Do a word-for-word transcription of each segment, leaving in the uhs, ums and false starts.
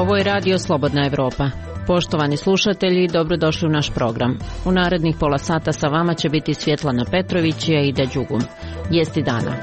Ovo je Radio Slobodna Evropa. Poštovani slušatelji, dobrodošli u naš program. U narednih pola sata sa vama će biti Svjetlana Petrović i Aida Đugum. Vijesti dana.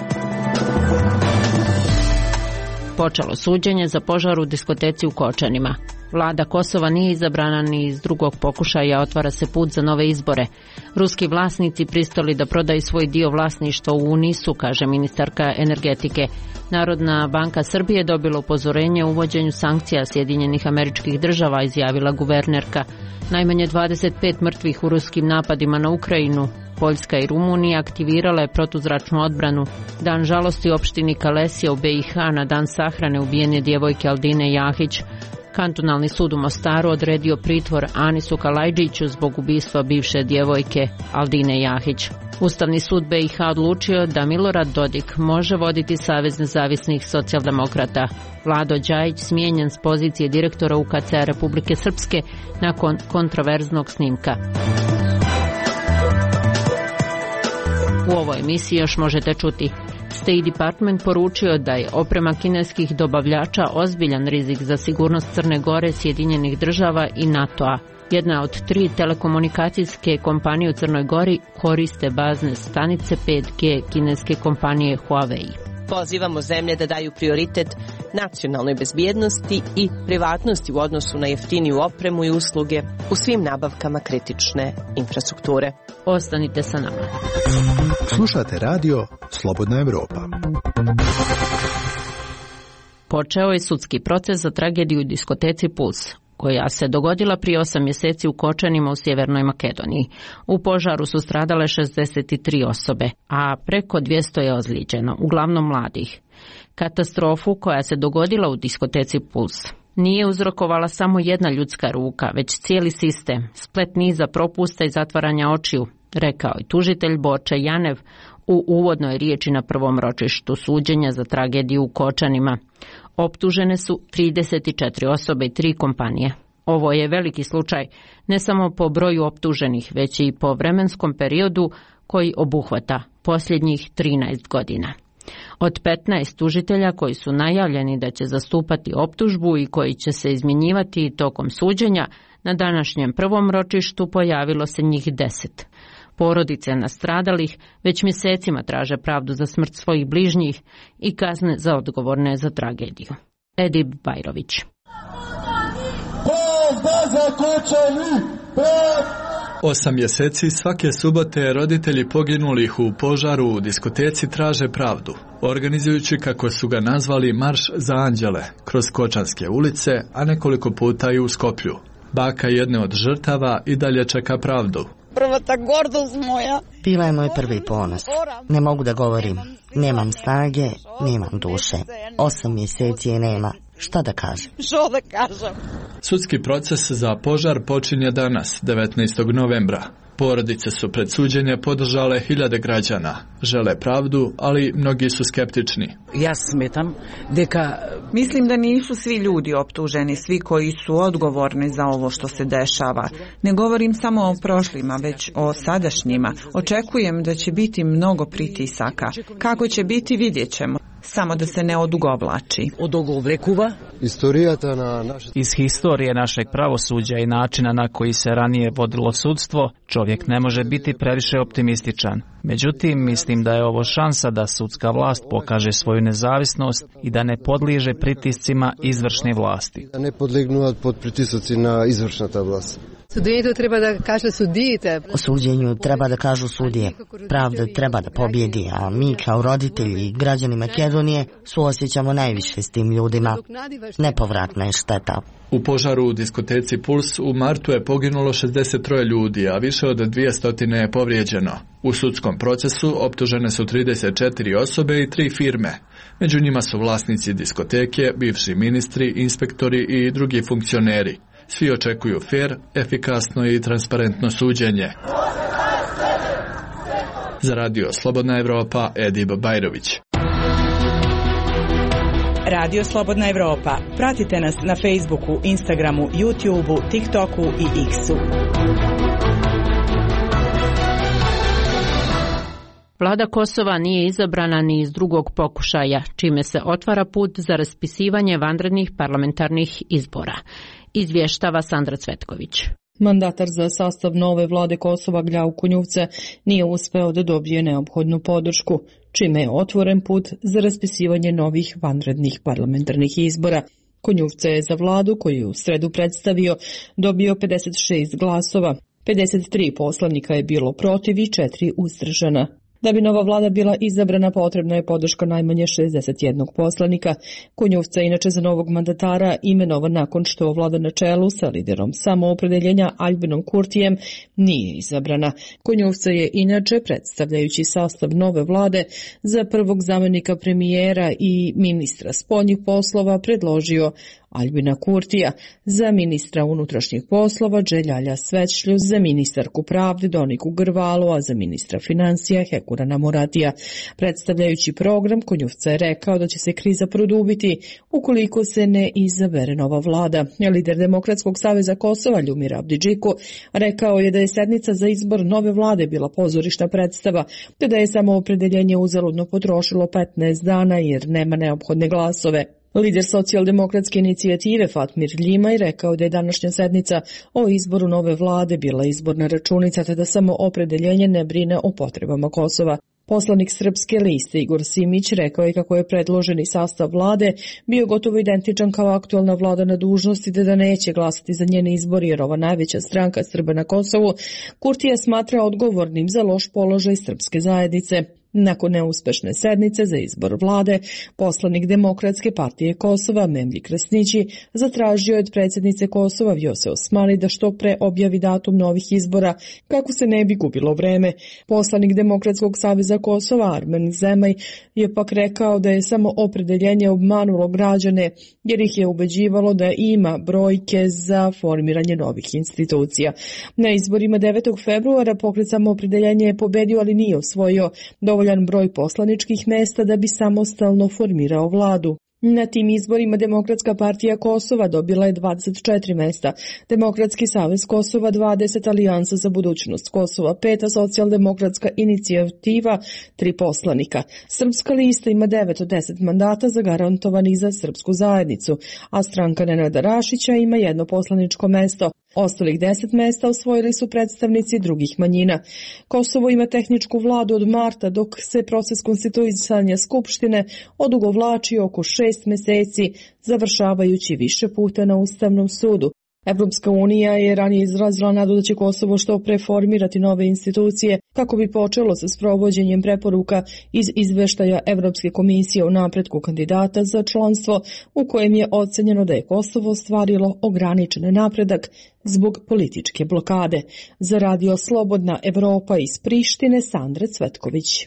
Počelo suđenje za požar u diskoteci u Kočanima. Vlada Kosova nije izabrana ni iz drugog pokušaja, otvara se put za nove izbore. Ruski vlasnici pristali da prodaju svoj dio vlasništva u Unisu, kaže ministarka energetike. Narodna banka Srbije dobila upozorenje o uvođenju sankcija Sjedinjenih Američkih Država, izjavila guvernerka. Najmanje dvadeset pet mrtvih u ruskim napadima na Ukrajinu. Poljska i Rumunija aktivirala je protuzračnu odbranu. Dan žalosti u opštini Kalesija u be i ha na dan sahrane ubijene djevojke Aldine Jahić. Kantonalni sud u Mostaru odredio pritvor Anisu Kalajđiću zbog ubistva bivše djevojke Aldine Jahić. Ustavni sud be i ha odlučio da Milorad Dodik može voditi Savez nezavisnih socijaldemokrata. Vlado Đajić smijenjen s pozicije direktora u ka ce a Republike Srpske nakon kontroverznog snimka. U ovoj emisiji još možete čuti: State Department poručio da je oprema kineskih dobavljača ozbiljan rizik za sigurnost Crne Gore, Sjedinjenih Država i NATO-a. Jedna od tri telekomunikacijske kompanije u Crnoj Gori koriste bazne stanice pet ge kineske kompanije Huawei. Pozivamo zemlje da daju prioritet nacionalnoj bezbjednosti i privatnosti u odnosu na jeftiniju opremu i usluge u svim nabavkama kritične infrastrukture. Ostanite sa nama. Slušate radio Slobodna Evropa. Počeo je sudski proces za tragediju u diskoteci Puls, koja se dogodila prije osam mjeseci u Kočanima u Sjevernoj Makedoniji. U požaru su stradale šezdeset tri osobe, a preko dvjesto je ozlijeđeno, uglavnom mladih. Katastrofu koja se dogodila u diskoteci Puls nije uzrokovala samo jedna ljudska ruka, već cijeli sistem, splet niza propusta i zatvaranja očiju, rekao je tužitelj Borče Janev u uvodnoj riječi na prvom ročištu suđenja za tragediju u Kočanima. Optužene su trideset četiri osobe i tri kompanije. Ovo je veliki slučaj ne samo po broju optuženih, već i po vremenskom periodu koji obuhvata posljednjih trinaest godina. Od petnaest tužitelja koji su najavljeni da će zastupati optužbu i koji će se izmjenjivati tokom suđenja, na današnjem prvom ročištu pojavilo se njih deset. Porodice nastradalih već mjesecima traže pravdu za smrt svojih bližnjih i kazne za odgovorne za tragediju. Edib Bajrović. Osam mjeseci svake subote roditelji poginulih u požaru u diskoteci traže pravdu, organizujući, kako su ga nazvali, marš za anđele kroz kočanske ulice, a nekoliko puta i u Skoplju. Baka jedne od žrtava i dalje čeka pravdu. Prva ta gordost moja. Bila je moj prvi ponos. Ne mogu da govorim. Nemam snage, nemam duše. Osam mjeseci je nema. Šta da kažem? Što da kažem? Sudski proces za požar počinje danas, devetnaestog novembra. Porodice su pred suđenje podržale hiljade građana. Žele pravdu, ali mnogi su skeptični. Ja smetam deka... Mislim da nisu svi ljudi optuženi, svi koji su odgovorni za ovo što se dešava. Ne govorim samo o prošlima, već o sadašnjima. Očekujem da će biti mnogo pritisaka. Kako će biti, vidjet ćemo. Samo da se ne odugovlači. Iz historije našeg pravosuđa i načina na koji se ranije vodilo sudstvo, čovjek ne može biti previše optimističan. Međutim, mislim da je ovo šansa da sudska vlast pokaže svoju nezavisnost i da ne podliježe pritiscima izvršne vlasti. Da ne podlegnu pod pritiscima izvršna ta vlast. Suđenju treba da kaže sudije. O suđenju treba da kažu sudije. Pravda treba da pobjedi, a mi kao roditelji i građani Makedonije suosjećamo najviše s tim ljudima. Nepovratna je šteta. U požaru u diskoteci Puls u martu je poginulo šezdeset tri ljudi, a više od dvjesto je povrijeđeno. U sudskom procesu optužene su trideset četiri osobe i tri firme. Među njima su vlasnici diskoteke, bivši ministri, inspektori i drugi funkcioneri. Svi očekuju fer, efikasno i transparentno suđenje. Za radio Slobodna Evropa, Edib Bajrović. Radio Slobodna Evropa. Pratite nas na Facebooku, Instagramu, YouTubeu, TikToku i X-u. Vlada Kosova nije izabrana ni iz drugog pokušaja, čime se otvara put za raspisivanje vanrednih parlamentarnih izbora. Izvještava Sandra Cvetković. Mandatar za sastav nove vlade Kosova Gljau Kunjuvce nije uspeo da dobije neophodnu podršku, čime je otvoren put za raspisivanje novih vanrednih parlamentarnih izbora. Kunjuvce je za vladu, koju je u sredu predstavio, dobio pedeset šest glasova, pedeset tri poslanika je bilo protiv i četiri uzdržana. Da bi nova vlada bila izabrana, potrebna je podrška najmanje šezdeset jednog poslanika. Kunjuvca, inače za novog mandatara, imenovan nakon što vlada na čelu sa liderom samoopredeljenja Aljbinom Kurtijem, nije izabrana. Kunjuvca je inače, predstavljajući sastav nove vlade, za prvog zamjenika premijera i ministra spoljnih poslova predložio Aljbina Kurtija, za ministra unutrašnjih poslova Dželjalja Svećlju, za ministarku pravde Doniku Grvalu, a za ministra financija Hekurana Muratija. Predstavljajući program, Kunjuvca je rekao da će se kriza produbiti ukoliko se ne izabere nova vlada. Lider Demokratskog saveza Kosova Ljumir Abdidžiku rekao je da je sednica za izbor nove vlade bila pozorišna predstava, te da je samoopredeljenje uzaludno potrošilo petnaest dana jer nema neophodne glasove. Lider socijaldemokratske inicijative Fatmir Ljimaj rekao da je današnja sednica o izboru nove vlade bila izborna računica, te da samo opredeljenje ne brine o potrebama Kosova. Poslanik Srpske liste Igor Simić rekao je kako je predloženi sastav vlade bio gotovo identičan kao aktualna vlada na dužnosti, te da neće glasati za njen izbor jer ova najveća stranka Srba na Kosovu Kurtija smatra odgovornim za loš položaj srpske zajednice. Nakon neuspešne sednice za izbor vlade, poslanik Demokratske partije Kosova Memlji Krasnići zatražio od predsjednice Kosova Vjose Osmani da što pre objavi datum novih izbora kako se ne bi gubilo vreme. Poslanik Demokratskog saveza Kosova Armen Zemaj je pak rekao da je samo opredeljenje obmanulo građane jer ih je ubeđivalo da ima brojke za formiranje novih institucija. Na izborima devetog februara pokret Samoopredeljenje je pobedio, ali nije osvojio dovoljan broj poslaničkih mesta da bi samostalno formirao vladu. Na tim izborima Demokratska partija Kosova dobila je dvadeset četiri mesta, Demokratski savez Kosova dvadeset, Alijansa za budućnost Kosova pet, a Socijaldemokratska inicijativa tri poslanika. Srpska lista ima devet od deset mandata zagarantovanih za srpsku zajednicu, a stranka Nenada Rašića ima jedno poslaničko mesto. Ostalih deset mesta osvojili su predstavnici drugih manjina. Kosovo ima tehničku vladu od marta, dok se proces konstituisanja Skupštine odugovlači oko šest meseci, završavajući više puta na Ustavnom sudu. Evropska unija je ranije izrazila nadu da će Kosovo što pre formirati nove institucije kako bi počelo sa sprovođenjem preporuka iz izveštaja Evropske komisije o napretku kandidata za članstvo, u kojem je ocenjeno da je Kosovo ostvarilo ograničen napredak zbog političke blokade. Za Radio Slobodna Evropa iz Prištine, Sandra Cvetković.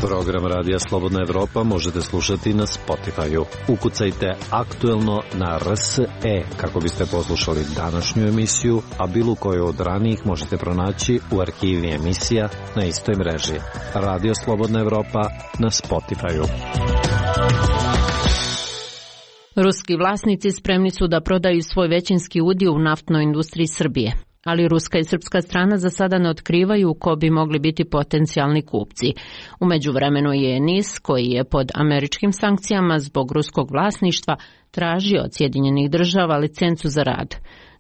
Program Radija Slobodna Evropa možete slušati na Spotify-u. Ukucajte aktuelno na R S E kako biste poslušali današnju emisiju, a bilo koju od ranijih možete pronaći u arhivi emisija na istoj mreži. Radio Slobodna Evropa na Spotify-u. Ruski vlasnici spremni su da prodaju svoj većinski udio u naftnoj industriji Srbije, ali ruska i srpska strana za sada ne otkrivaju ko bi mogli biti potencijalni kupci. U međuvremenu je N I S, koji je pod američkim sankcijama zbog ruskog vlasništva, tražio od Sjedinjenih država licencu za rad,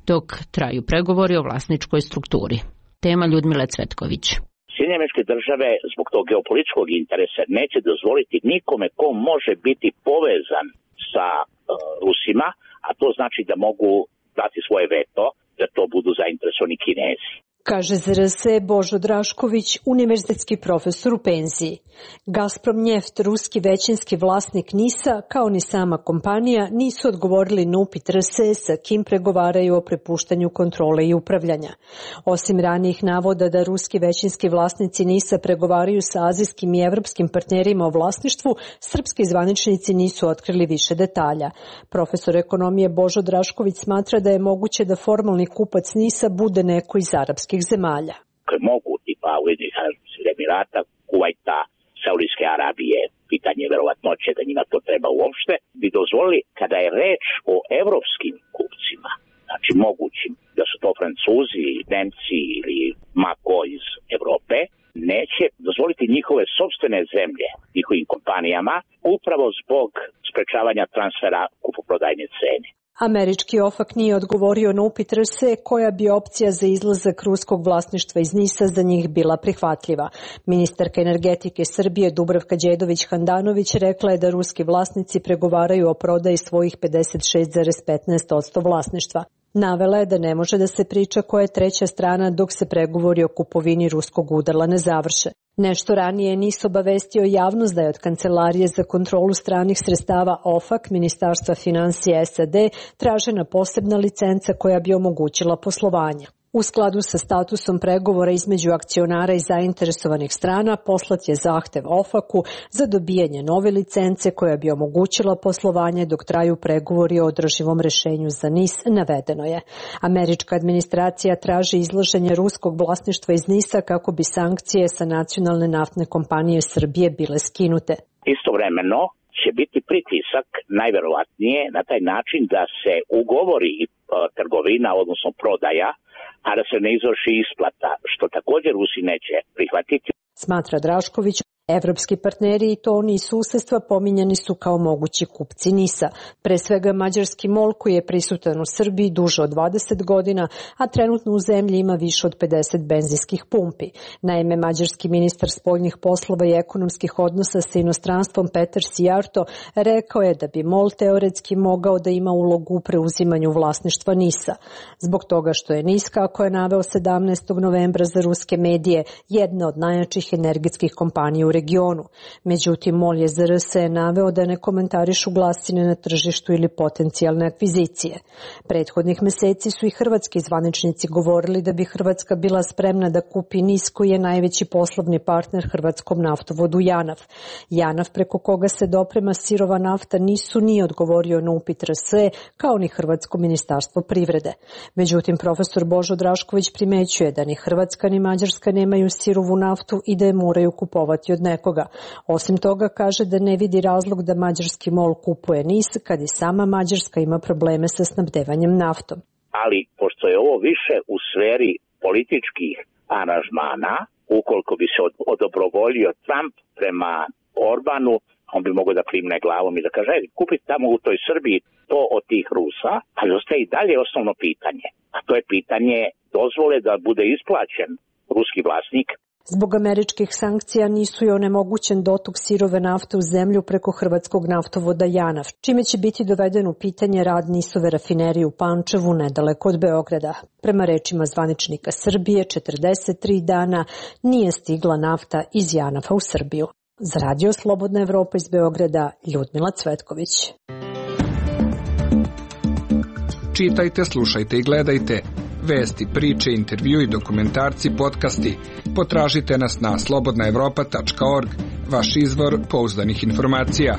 dok traju pregovori o vlasničkoj strukturi. Tema Ljudmile Cvetković. Sjedinjene Američke Države zbog tog geopolitičkog interesa neće dozvoliti nikome ko može biti povezan sa uh, Rusima, a to znači da mogu dati svoje veto, da to budu zainteresovani Kinezi. Kaže za R S E Božo Drašković, univerzitetski profesor u penziji. Gazprom Njeft, ruski većinski vlasnik N I S-a, kao ni sama kompanija, nisu odgovorili na upit R S E sa kim pregovaraju o prepuštanju kontrole i upravljanja. Osim ranijih navoda da ruski većinski vlasnici N I S-a pregovaraju sa azijskim i evropskim partnerima o vlasništvu, srpski zvaničnici nisu otkrili više detalja. Profesor ekonomije Božo Drašković smatra da je moguće da formalni kupac N I S-a bude neko iz arapskih zemalja. Mogu tipa Ujedinjenih Arapskih Emirata, Kuvajta, Saudijske Arabije, pitanje verovatnoće da njima to treba uopšte, bi dozvolili kada je reč o evropskim kupcima, znači mogućim da su to Francuzi, Nemci ili ma ko iz Evrope, neće dozvoliti njihove sopstvene zemlje njihovim kompanijama upravo zbog sprečavanja transfera kupoprodajne cene. Američki OFAC nije odgovorio na upit R S E koja bi opcija za izlazak ruskog vlasništva iz NIS-a za njih bila prihvatljiva. Ministarka energetike Srbije Dubravka Đedović-Handanović rekla je da ruski vlasnici pregovaraju o prodaji svojih pedeset šest zarez petnaest posto vlasništva. Navela je da ne može da se priča koja je treća strana dok se pregovori o kupovini ruskog udrla ne završe. Nešto ranije NIS obavestio javnost da je od Kancelarije za kontrolu stranih sredstava OFAC, Ministarstva financija S A D, tražena posebna licenca koja bi omogućila poslovanje. U skladu sa statusom pregovora između akcionara i zainteresovanih strana poslat je zahtev OFAC-u za dobijanje nove licence koja bi omogućila poslovanje dok traju pregovori o održivom rešenju za NIS, navedeno je. Američka administracija traži izlaženje ruskog vlasništva iz NIS-a kako bi sankcije sa nacionalne naftne kompanije Srbije bile skinute. Istovremeno će biti pritisak najverovatnije na taj način da se ugovori trgovina, odnosno prodaja, a da se ne izvrši isplata, što također Rusi neće prihvatiti. Smatra Drašković, evropski partneri i to oni iz susedstva pominjani su kao mogući kupci NIS-a. Pre svega mađarski MOL koji je prisutan u Srbiji duže od dvadeset godina, a trenutno u zemlji ima više od pedeset benzinskih pumpi. Naime, mađarski ministar spoljnih poslova i ekonomskih odnosa sa inostranstvom Petar Sijarto rekao je da bi MOL teoretski mogao da ima ulogu u preuzimanju vlasništva NIS-a. Zbog toga što je NIS, kako je naveo sedamnaestog novembra za ruske medije, jedna od najjačih energetskih kompanija u regionu. Međutim, MOL je za R S E naveo da ne komentarišu glasine na tržištu ili potencijalne akvizicije. Prethodnih meseci su i hrvatski zvaničnici govorili da bi Hrvatska bila spremna da kupi NIS koji je najveći poslovni partner hrvatskom naftovodu JANAF. JANAF preko koga se doprema sirova nafta nisu nije odgovorio na upit R S E kao ni Hrvatsko ministarstvo privrede. Međutim, profesor Božo Drašković primećuje da ni Hrvatska ni Mađarska nemaju sirovu naftu i da je moraju kupovati od nekoga. Osim toga, kaže da ne vidi razlog da mađarski MOL kupuje NIS kad i sama Mađarska ima probleme sa snabdevanjem naftom. Ali, pošto je ovo više u sferi političkih aranžmana, ukoliko bi se odobrovoljio Trump prema Orbanu, on bi mogao da klimne glavom i da kaže, kupiti tamo u toj Srbiji to od tih Rusa, ali ostaje i dalje osnovno pitanje. A to je pitanje dozvole da bude isplaćen ruski vlasnik. Zbog američkih sankcija nisu i onemogućen dotok sirove nafte u zemlju preko hrvatskog naftovoda JANAF, čime će biti doveden u pitanje rad NIS-ove rafinerije u Pančevu nedaleko od Beograda. Prema rečima zvaničnika Srbije, četrdeset tri dana nije stigla nafta iz JANAF-a u Srbiju. Za Radio Slobodna Evropa iz Beograda, Ljudmila Cvetković. Čitajte, slušajte i gledajte vesti, priče, intervju i dokumentarci, podcasti. Potražite nas na slobodna evropa tačka org, vaš izvor pouzdanih informacija.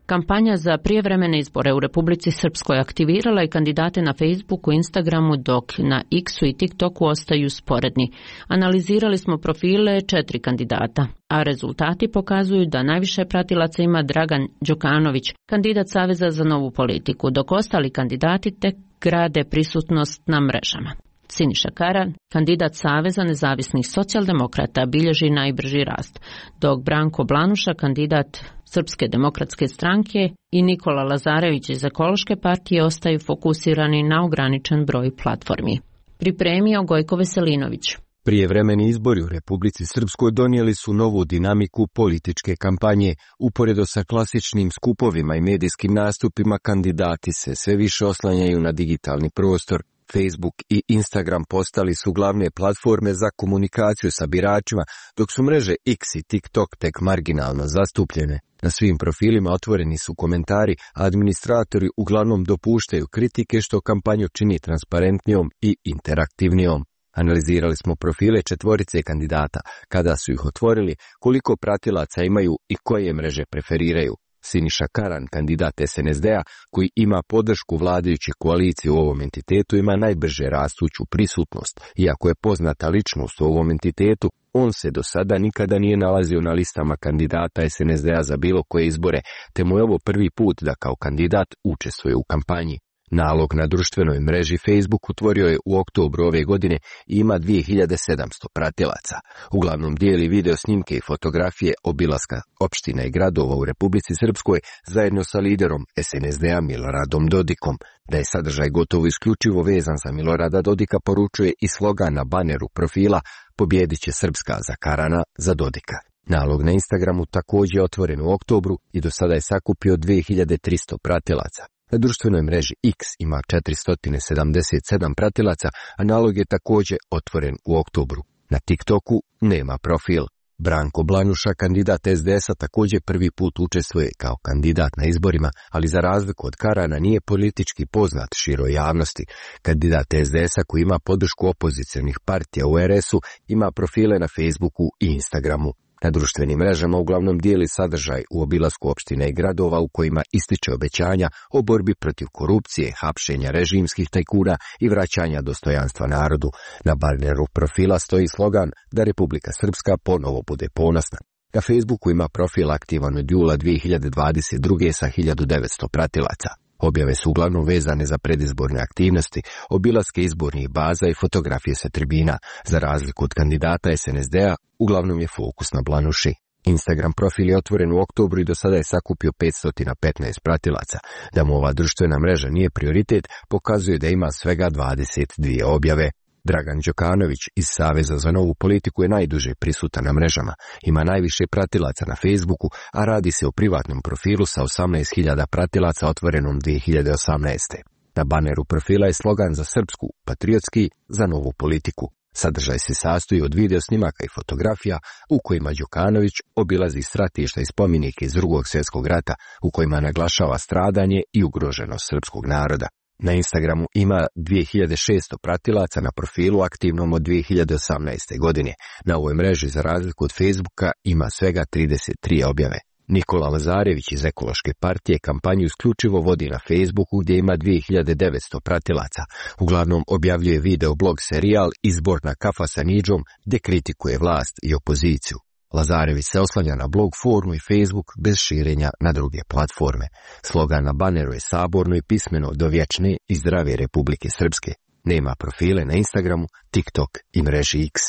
Kampanja za prijevremene izbore u Republici Srpskoj aktivirala je kandidate na Facebooku, Instagramu, dok na X-u i TikToku ostaju sporedni. Analizirali smo profile četiri kandidata, a rezultati pokazuju da najviše pratilaca ima Dragan Đukanović, kandidat Saveza za novu politiku, dok ostali kandidati tek grade prisutnost na mrežama. Siniša Karan, kandidat Saveza nezavisnih socijaldemokrata, bilježi najbrži rast, dok Branko Blanuša, kandidat Srpske demokratske stranke, i Nikola Lazarević iz Ekološke partije ostaju fokusirani na ograničen broj platformi. Pripremio Gojko Veselinović. Prijevremeni izbori u Republici Srpskoj donijeli su novu dinamiku političke kampanje. Uporedo sa klasičnim skupovima i medijskim nastupima, kandidati se sve više oslanjaju na digitalni prostor. Facebook i Instagram postali su glavne platforme za komunikaciju sa biračima, dok su mreže X i TikTok tek marginalno zastupljene. Na svim profilima otvoreni su komentari, a administratori uglavnom dopuštaju kritike, što kampanju čini transparentnijom i interaktivnijom. Analizirali smo profile četvorice kandidata, kada su ih otvorili, koliko pratilaca imaju i koje mreže preferiraju. Siniša Karan, kandidat S N S D-a, koji ima podršku vladajuće koalicije u ovom entitetu, ima najbrže rastuću prisutnost. Iako je poznata ličnost u ovom entitetu, on se do sada nikada nije nalazio na listama kandidata S N S D-a za bilo koje izbore, te mu je ovo prvi put da kao kandidat učestvuje u kampanji. Nalog na društvenoj mreži Facebook utvorio je u oktobru ove godine i ima dvije hiljade sedamsto pratilaca. Uglavnom dijeli video snimke i fotografije obilaska opština i gradova u Republici Srpskoj zajedno sa liderom es en es de a Miloradom Dodikom. Da je sadržaj gotovo isključivo vezan za Milorada Dodika poručuje i slogan na baneru profila "Pobjedit će Srpska za Karana, za Dodika". Nalog na Instagramu također je otvoren u oktobru i do sada je sakupio dvije hiljade tristo pratilaca. Na društvenoj mreži X ima četiristo sedamdeset sedam pratilaca, a nalog je također otvoren u oktobru. Na TikToku nema profil. Branko Blanuša, kandidat es de esa, također prvi put učestvuje kao kandidat na izborima, ali za razliku od Karana nije politički poznat široj javnosti. Kandidat es de esa koji ima podršku opozicionih partija u er esu ima profile na Facebooku i Instagramu. Na društvenim mrežama uglavnom dijeli sadržaj u obilasku opština i gradova u kojima ističe obećanja o borbi protiv korupcije, hapšenja režimskih tajkuna i vraćanja dostojanstva narodu. Na baneru profila stoji slogan da Republika Srpska ponovo bude ponosna. Na Facebooku ima profil aktivan od jula dvije hiljade dvadeset druge sa hiljadu devetsto pratilaca. Objave su uglavnom vezane za predizborne aktivnosti, obilaske izbornih baza i fotografije sa tribina. Za razliku od kandidata es en es de a, uglavnom je fokus na Blanuši. Instagram profil je otvoren u oktobru i do sada je sakupio petsto petnaest pratilaca. Da mu ova društvena mreža nije prioritet, pokazuje da ima svega dvadeset dvije objave. Dragan Đokanović iz Saveza za novu politiku je najduže prisutan na mrežama. Ima najviše pratilaca na Facebooku, a radi se o privatnom profilu sa osamnaest hiljada pratilaca otvorenom dvije hiljade osamnaeste. Na baneru profila je slogan za srpsku, patriotski, za novu politiku. Sadržaj se sastoji od video snimaka i fotografija u kojima Đukanović obilazi stratišta i spomenike iz Drugog svjetskog rata, u kojima naglašava stradanje i ugroženost srpskog naroda. Na Instagramu ima dvije hiljade šesto pratilaca na profilu aktivnom od dvije hiljade osamnaeste. godine. Na ovoj mreži, za razliku od Facebooka, ima svega trideset tri objave. Nikola Lazarević iz Ekološke partije kampanju isključivo vodi na Facebooku gdje ima dvije hiljade devetsto pratilaca. Uglavnom objavljuje video blog serijal Izborna kafa sa Nidžom gdje kritikuje vlast i opoziciju. Lazarević se oslanja na blog formu i Facebook bez širenja na druge platforme. Slogan na baneru je saborno i pismeno do vječne i zdrave Republike Srpske. Nema profile na Instagramu, TikTok i mreži X.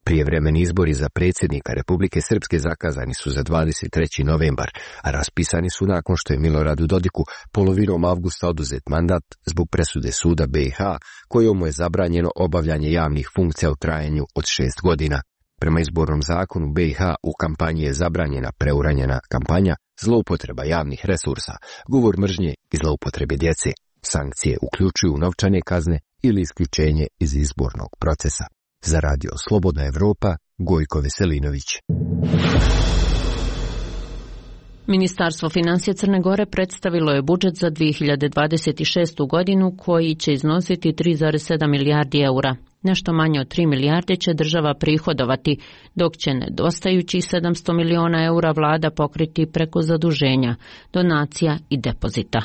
Prijevremeni izbori za predsjednika Republike Srpske zakazani su za dvadeset treći novembar, a raspisani su nakon što je Miloradu Dodiku polovinom avgusta oduzet mandat zbog presude suda be i ha, kojom mu je zabranjeno obavljanje javnih funkcija u trajanju od šest godina. Prema izbornom zakonu be i ha u kampanji je zabranjena preuranjena kampanja, zloupotreba javnih resursa, govor mržnje i zloupotrebe djece. Sankcije uključuju novčane kazne ili isključenje iz izbornog procesa. Za radio Slobodna Evropa, Gojko Veselinović. Ministarstvo financija Crne Gore predstavilo je budžet za dvije hiljade dvadeset šestu. godinu koji će iznositi tri zarez sedam milijardi eura. Nešto manje od tri milijarde će država prihodovati, dok će nedostajućih sedamsto miliona eura vlada pokriti preko zaduženja, donacija i depozita.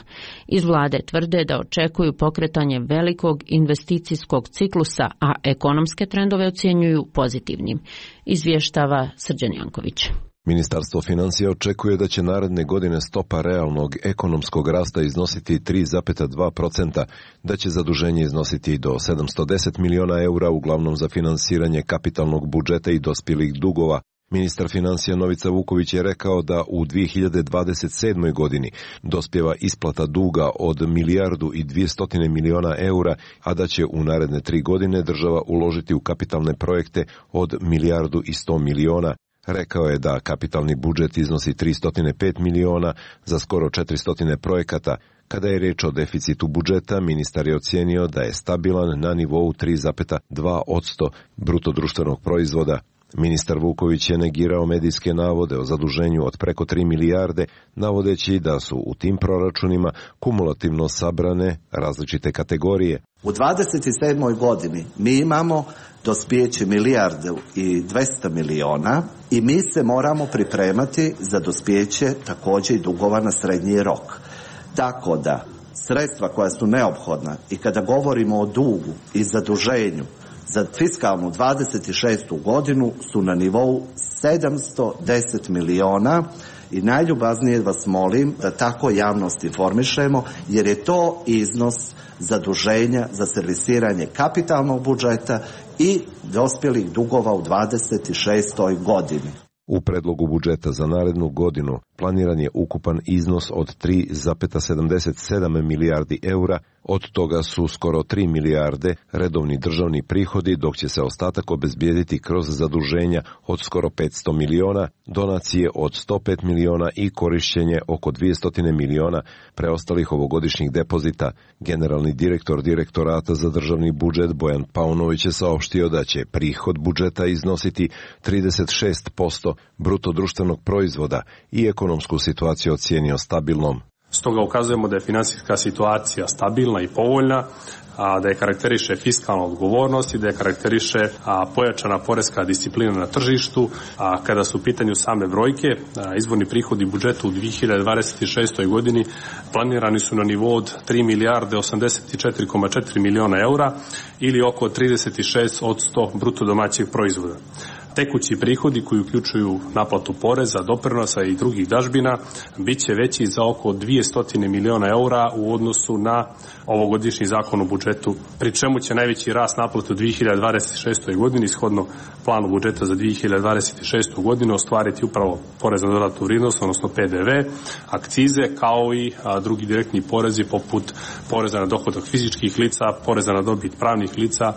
Iz vlade tvrde da očekuju pokretanje velikog investicijskog ciklusa, a ekonomske trendove ocjenjuju pozitivnim. Izvještava Srđan Janković. Ministarstvo financija očekuje da će naredne godine stopa realnog ekonomskog rasta iznositi tri zarez dva procenta, da će zaduženje iznositi do sedamsto deset miliona eura, uglavnom za finansiranje kapitalnog budžeta i dospjelih dugova. Ministar financija Novica Vuković je rekao da u dvije hiljade dvadeset sedmoj. godini dospjeva isplata duga od milijardu i dvjesto miliona eura, a da će u naredne tri godine država uložiti u kapitalne projekte od milijardu i sto miliona. Rekao je da kapitalni budžet iznosi tristo pet miliona za skoro četiristo projekata. Kada je riječ o deficitu budžeta, ministar je ocijenio da je stabilan na nivou tri zarez dva posto bruto društvenog proizvoda. Ministar Vuković je negirao medijske navode o zaduženju od preko tri milijarde, navodeći da su u tim proračunima kumulativno sabrane različite kategorije. U dvadeset sedmoj. godini mi imamo dospijeće milijardu i dvjesto miliona i mi se moramo pripremati za dospijeće također i dugova na srednji rok. Tako da sredstva koja su neophodna i kada govorimo o dugu i zaduženju za fiskalnu dvadeset šestu. godinu su na nivou sedamsto deset miliona I najljubaznije vas molim da tako javnost informišemo, jer je to iznos zaduženja za servisiranje kapitalnog budžeta i dospjelih dugova u dvadeset šestoj godini. U predlogu budžeta za narednu godinu planiran je ukupan iznos od tri zarez sedamdeset sedam milijardi eura, od toga su skoro tri milijarde redovni državni prihodi, dok će se ostatak obezbijediti kroz zaduženja od skoro petsto miliona, donacije od sto pet miliona i korišćenje oko dvjesto miliona preostalih ovogodišnjih depozita. Generalni direktor Direktorata za državni budžet Bojan Paunović je saopštio da će prihod budžeta iznositi trideset šest posto bruto društvenog proizvoda i ekonomsku situaciju ocijenio stabilnom. Stoga ukazujemo da je finansijska situacija stabilna i povoljna, a da je karakteriše fiskalna odgovornost i da je karakteriše a, pojačana poreska disciplina na tržištu. A kada su u pitanju same brojke, a, izvorni prihodi budžeta u dvije hiljade dvadeset šestoj godini planirani su na nivou od tri milijarde osamdeset četiri zarez četiri miliona eura ili oko trideset šest posto bruto domaćeg proizvoda. Tekući prihodi koji uključuju naplatu poreza, doprinosa i drugih dažbina bit će veći za oko dvjesto miliona eura u odnosu na ovogodišnji zakon o budžetu, pri čemu će najveći rast naplate u dvije hiljade dvadeset šestoj godini shodno planu budžeta za dvije hiljade dvadeset šestu godinu ostvariti upravo porez na dodatnu vrijednost, odnosno P D V, akcize kao i a, drugi direktni porezi poput poreza na dohodak fizičkih lica, poreza na dobit pravnih lica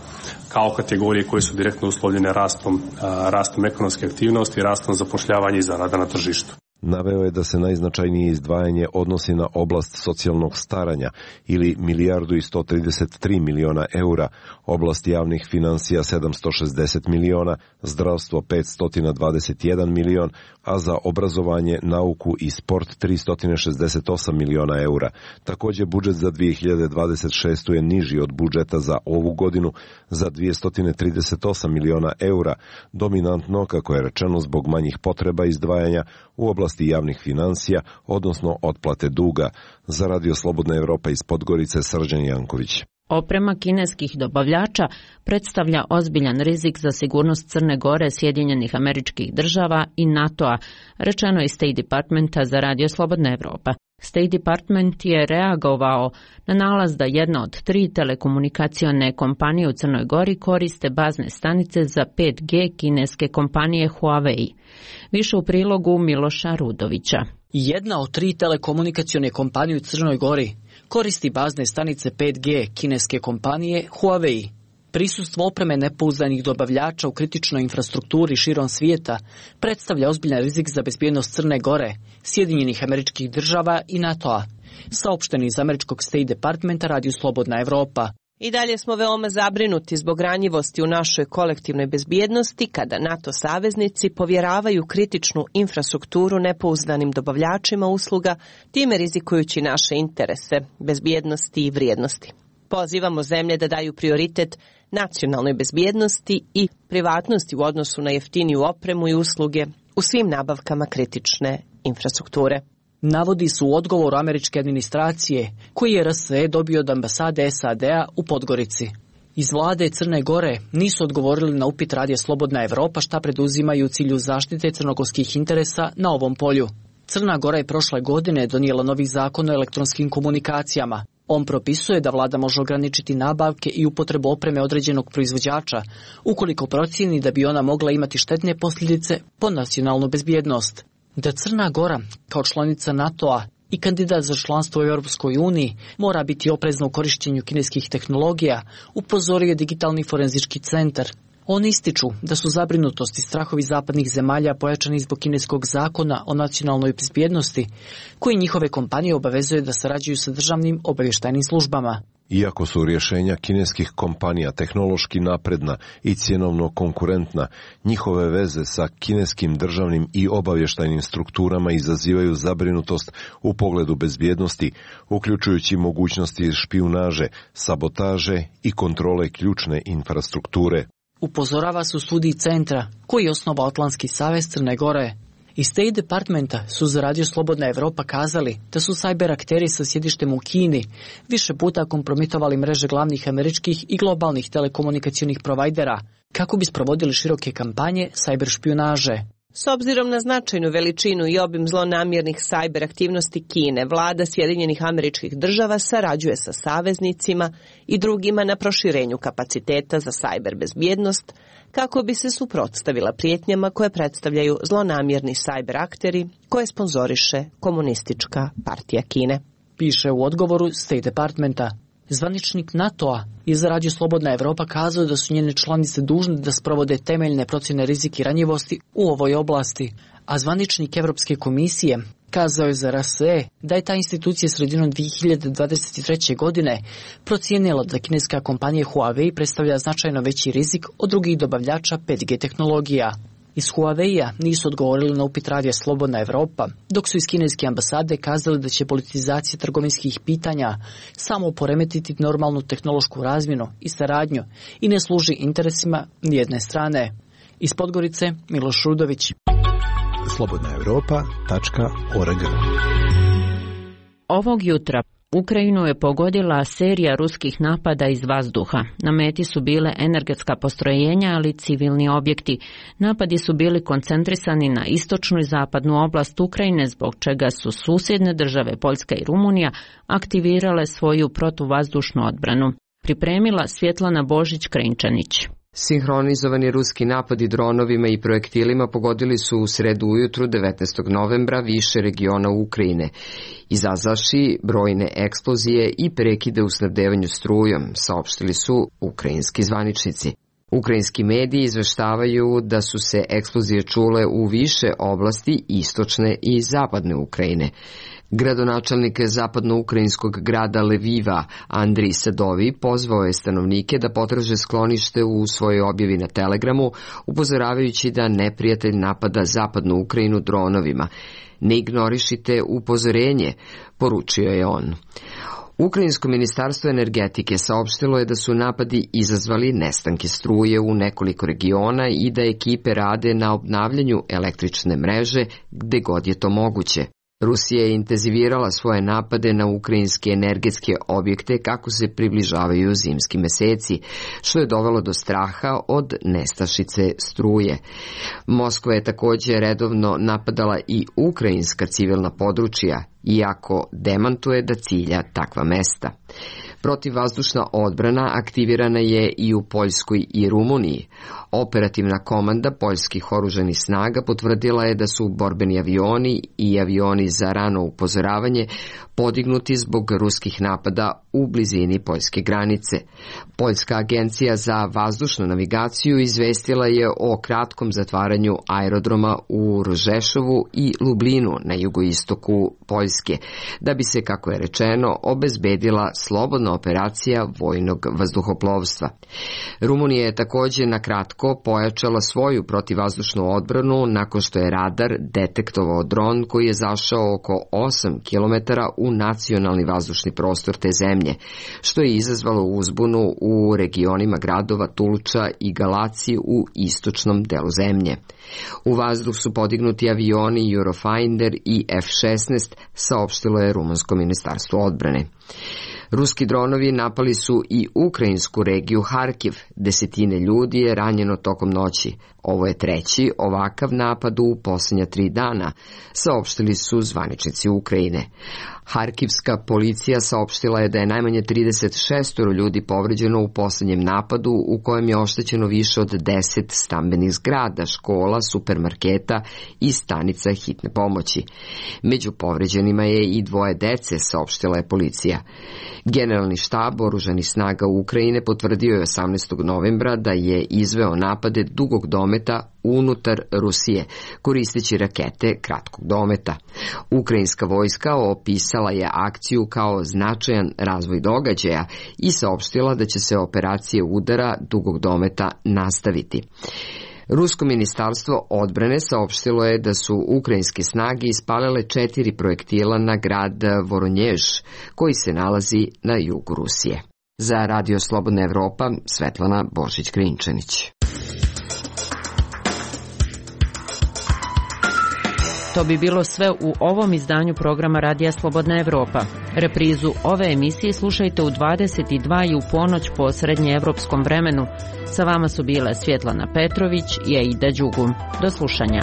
kao kategorije koje su direktno uslovljene rastom a, rastom ekonomske aktivnosti i rastom zapošljavanja i zarada na tržištu. Naveo je da se najznačajnije izdvajanje odnosi na oblast socijalnog staranja ili milijardu i sto trideset tri miliona eura, oblast javnih financija sedamsto šezdeset miliona, zdravstvo petsto dvadeset jedan milion, a za obrazovanje, nauku i sport tristo šezdeset osam miliona eura. Također budžet za dvije hiljade dvadeset šestu je niži od budžeta za ovu godinu za dvjesto trideset osam miliona eura, dominantno, kako je rečeno, zbog manjih potreba izdvajanja u oblasti javnih financija, odnosno otplate duga. Za Radio Slobodna Evropa iz Podgorice, Srđan Janković. Oprema kineskih dobavljača predstavlja ozbiljan rizik za sigurnost Crne Gore, Sjedinjenih Američkih Država i NATO-a, rečeno iz State Departmenta za Radio Slobodna Evropa. State Department je reagovao na nalaz da jedna od tri telekomunikacione kompanije u Crnoj Gori koriste bazne stanice za pet G kineske kompanije Huawei. Više u prilogu Miloša Rudovića. Jedna od tri telekomunikacione kompanije u Crnoj Gori koristi bazne stanice pet G kineske kompanije Huawei. Prisustvo opreme nepouzdanih dobavljača u kritičnoj infrastrukturi širom svijeta predstavlja ozbiljan rizik za bezbjednost Crne Gore, Sjedinjenih Američkih Država i NATO-a, saopšteni iz američkog State Departmenta Radio Slobodna Evropa. I dalje smo veoma zabrinuti zbog ranjivosti u našoj kolektivnoj bezbjednosti kada NATO saveznici povjeravaju kritičnu infrastrukturu nepouzdanim dobavljačima usluga, time rizikujući naše interese, bezbjednosti i vrijednosti. Pozivamo zemlje da daju prioritet nacionalnoj bezbjednosti i privatnosti u odnosu na jeftiniju opremu i usluge u svim nabavkama kritične infrastrukture. Navodi su u odgovoru američke administracije koji je R S E dobio od ambasade S A D-a u Podgorici. Iz vlade Crne Gore nisu odgovorili na upit Radija Slobodna Evropa šta preduzimaju u cilju zaštite crnogorskih interesa na ovom polju. Crna Gora je prošle godine donijela novi zakon o elektronskim komunikacijama. On propisuje da vlada može ograničiti nabavke i upotrebu opreme određenog proizvođača ukoliko procijeni da bi ona mogla imati štetne posljedice po nacionalnu bezbjednost. Da Crna Gora, kao članica NATO-a i kandidat za članstvo u Europskoj uniji, mora biti oprezna u korištenju kineskih tehnologija, upozorio je Digitalni forenzički centar. Oni ističu da su zabrinutosti i strahovi zapadnih zemalja pojačani zbog kineskog zakona o nacionalnoj bezbjednosti, koji njihove kompanije obavezuje da sarađuju sa državnim obavještajnim službama. Iako su rješenja kineskih kompanija tehnološki napredna i cjenovno konkurentna, njihove veze sa kineskim državnim i obavještajnim strukturama izazivaju zabrinutost u pogledu bezbjednosti, uključujući mogućnosti špijunaže, sabotaže i kontrole ključne infrastrukture. Upozorava se u studiji centra koji je osnovao Atlantski savez Crne Gore. Iz State Departmenta su za Radio Slobodna Evropa kazali da su cyber akteri sa sjedištem u Kini više puta kompromitovali mreže glavnih američkih i globalnih telekomunikacionih provajdera kako bi sprovodili široke kampanje cyber špijunaže. S obzirom na značajnu veličinu i obim zlonamjernih sajber aktivnosti Kine, vlada Sjedinjenih Američkih Država sarađuje sa saveznicima i drugima na proširenju kapaciteta za sajber bezbjednost kako bi se suprotstavila prijetnjama koje predstavljaju zlonamjerni sajber akteri koje sponzoriše Komunistička partija Kine. Piše u odgovoru State Departmenta. Zvaničnik NATO-a je za Radio Slobodna Evropa kazao da su njene članice dužne da sprovode temeljne procjene rizika i ranjivosti u ovoj oblasti, a zvaničnik Evropske komisije kazao je za R S E da je ta institucija sredinom dvije hiljade dvadeset treće. godine procijenila da kineska kompanija Huawei predstavlja značajno veći rizik od drugih dobavljača pet G tehnologija. Iz Huawei-a nisu odgovorili na upit Radija Slobodna Evropa, dok su iz kineske ambasade kazali da će politizacija trgovinskih pitanja samo poremetiti normalnu tehnološku razmjenu i saradnju i ne služi interesima nijedne strane. Iz Podgorice, Miloš Rudović. slobodna evropa tačka org. Ovog jutra Ukrajinu je pogodila serija ruskih napada iz vazduha. Na meti su bile energetska postrojenja, ali i civilni objekti. Napadi su bili koncentrisani na istočnu i zapadnu oblast Ukrajine, zbog čega su susjedne države Poljska i Rumunija aktivirale svoju protuvazdušnu odbranu. Pripremila Svjetlana Božić-Krenčanić. Sinhronizovani ruski napadi dronovima i projektilima pogodili su u sredu ujutru devetnaestog novembra više regiona Ukrajine, izazavši brojne eksplozije i prekide u snabdevanju strujom, saopštili su ukrajinski zvaničnici. Ukrajinski mediji izveštavaju da su se eksplozije čule u više oblasti istočne i zapadne Ukrajine. Gradonačelnik zapadno-ukrajinskog grada Leviva Andrij Sadovi pozvao je stanovnike da potraže sklonište u svojoj objavi na Telegramu, upozoravajući da neprijatelj napada zapadnu Ukrajinu dronovima. Ne ignorišite upozorenje, poručio je on. Ukrajinsko ministarstvo energetike saopštilo je da su napadi izazvali nestanke struje u nekoliko regiona i da ekipe rade na obnavljanju električne mreže gde god je to moguće. Rusija je intenzivirala svoje napade na ukrajinske energetske objekte kako se približavaju zimski meseci, što je dovelo do straha od nestašice struje. Moskva je također redovno napadala i ukrajinska civilna područja, iako demantuje da cilja takva mesta. Protivvazdušna odbrana aktivirana je i u Poljskoj i Rumuniji. Operativna komanda poljskih oružanih snaga potvrdila je da su borbeni avioni i avioni za rano upozoravanje podignuti zbog ruskih napada u blizini poljske granice. Poljska agencija za vazdušnu navigaciju izvestila je o kratkom zatvaranju aerodroma u Rožešovu i Lublinu na jugoistoku Poljske, da bi se, kako je rečeno, obezbedila slobodna operacija vojnog vazduhoplovstva. Rumunija je također na kratko pojačala svoju protivvazdušnu odbranu nakon što je radar detektovao dron koji je zašao oko osam kilometara u nacionalni vazdušni prostor te zemlje, što je izazvalo uzbunu u regionima gradova Tulča i Galaci u istočnom delu zemlje. U vazduh su podignuti avioni Eurofighter i F šesnaest, saopštilo je rumunsko ministarstvo odbrane. Ruski dronovi napali su i ukrajinsku regiju Harkiv. Desetine ljudi je ranjeno tokom noći. Ovo je treći ovakav napad u posljednja tri dana, saopštili su zvaničnici Ukrajine. Harkivska policija saopštila je da je najmanje trideset šest ljudi povređeno u posljednjem napadu u kojem je oštećeno više od deset stambenih zgrada, škola, supermarketa i stanica hitne pomoći. Među povređenima je i dvoje dece, saopštila je policija. Generalni štab oružanih snaga Ukrajine potvrdio je osamnaestog novembra da je izveo napade dugog dometa unutar Rusije, koristeći rakete kratkog dometa. Ukrajinska vojska opisala je akciju kao značajan razvoj događaja i saopštila da će se operacije udara dugog dometa nastaviti. Rusko ministarstvo odbrane saopštilo je da su ukrajinske snage ispalile četiri projektila na grad Voronjež, koji se nalazi na jugu Rusije. Za Radio Slobodna Evropa, Svetlana Božić-Krinčanić. To bi bilo sve u ovom izdanju programa Radija Slobodna Evropa. Reprizu ove emisije slušajte u dvadeset dva i u ponoć po srednjeevropskom vremenu. Sa vama su bile Svjetlana Petrović i Aida Đugum. Do slušanja.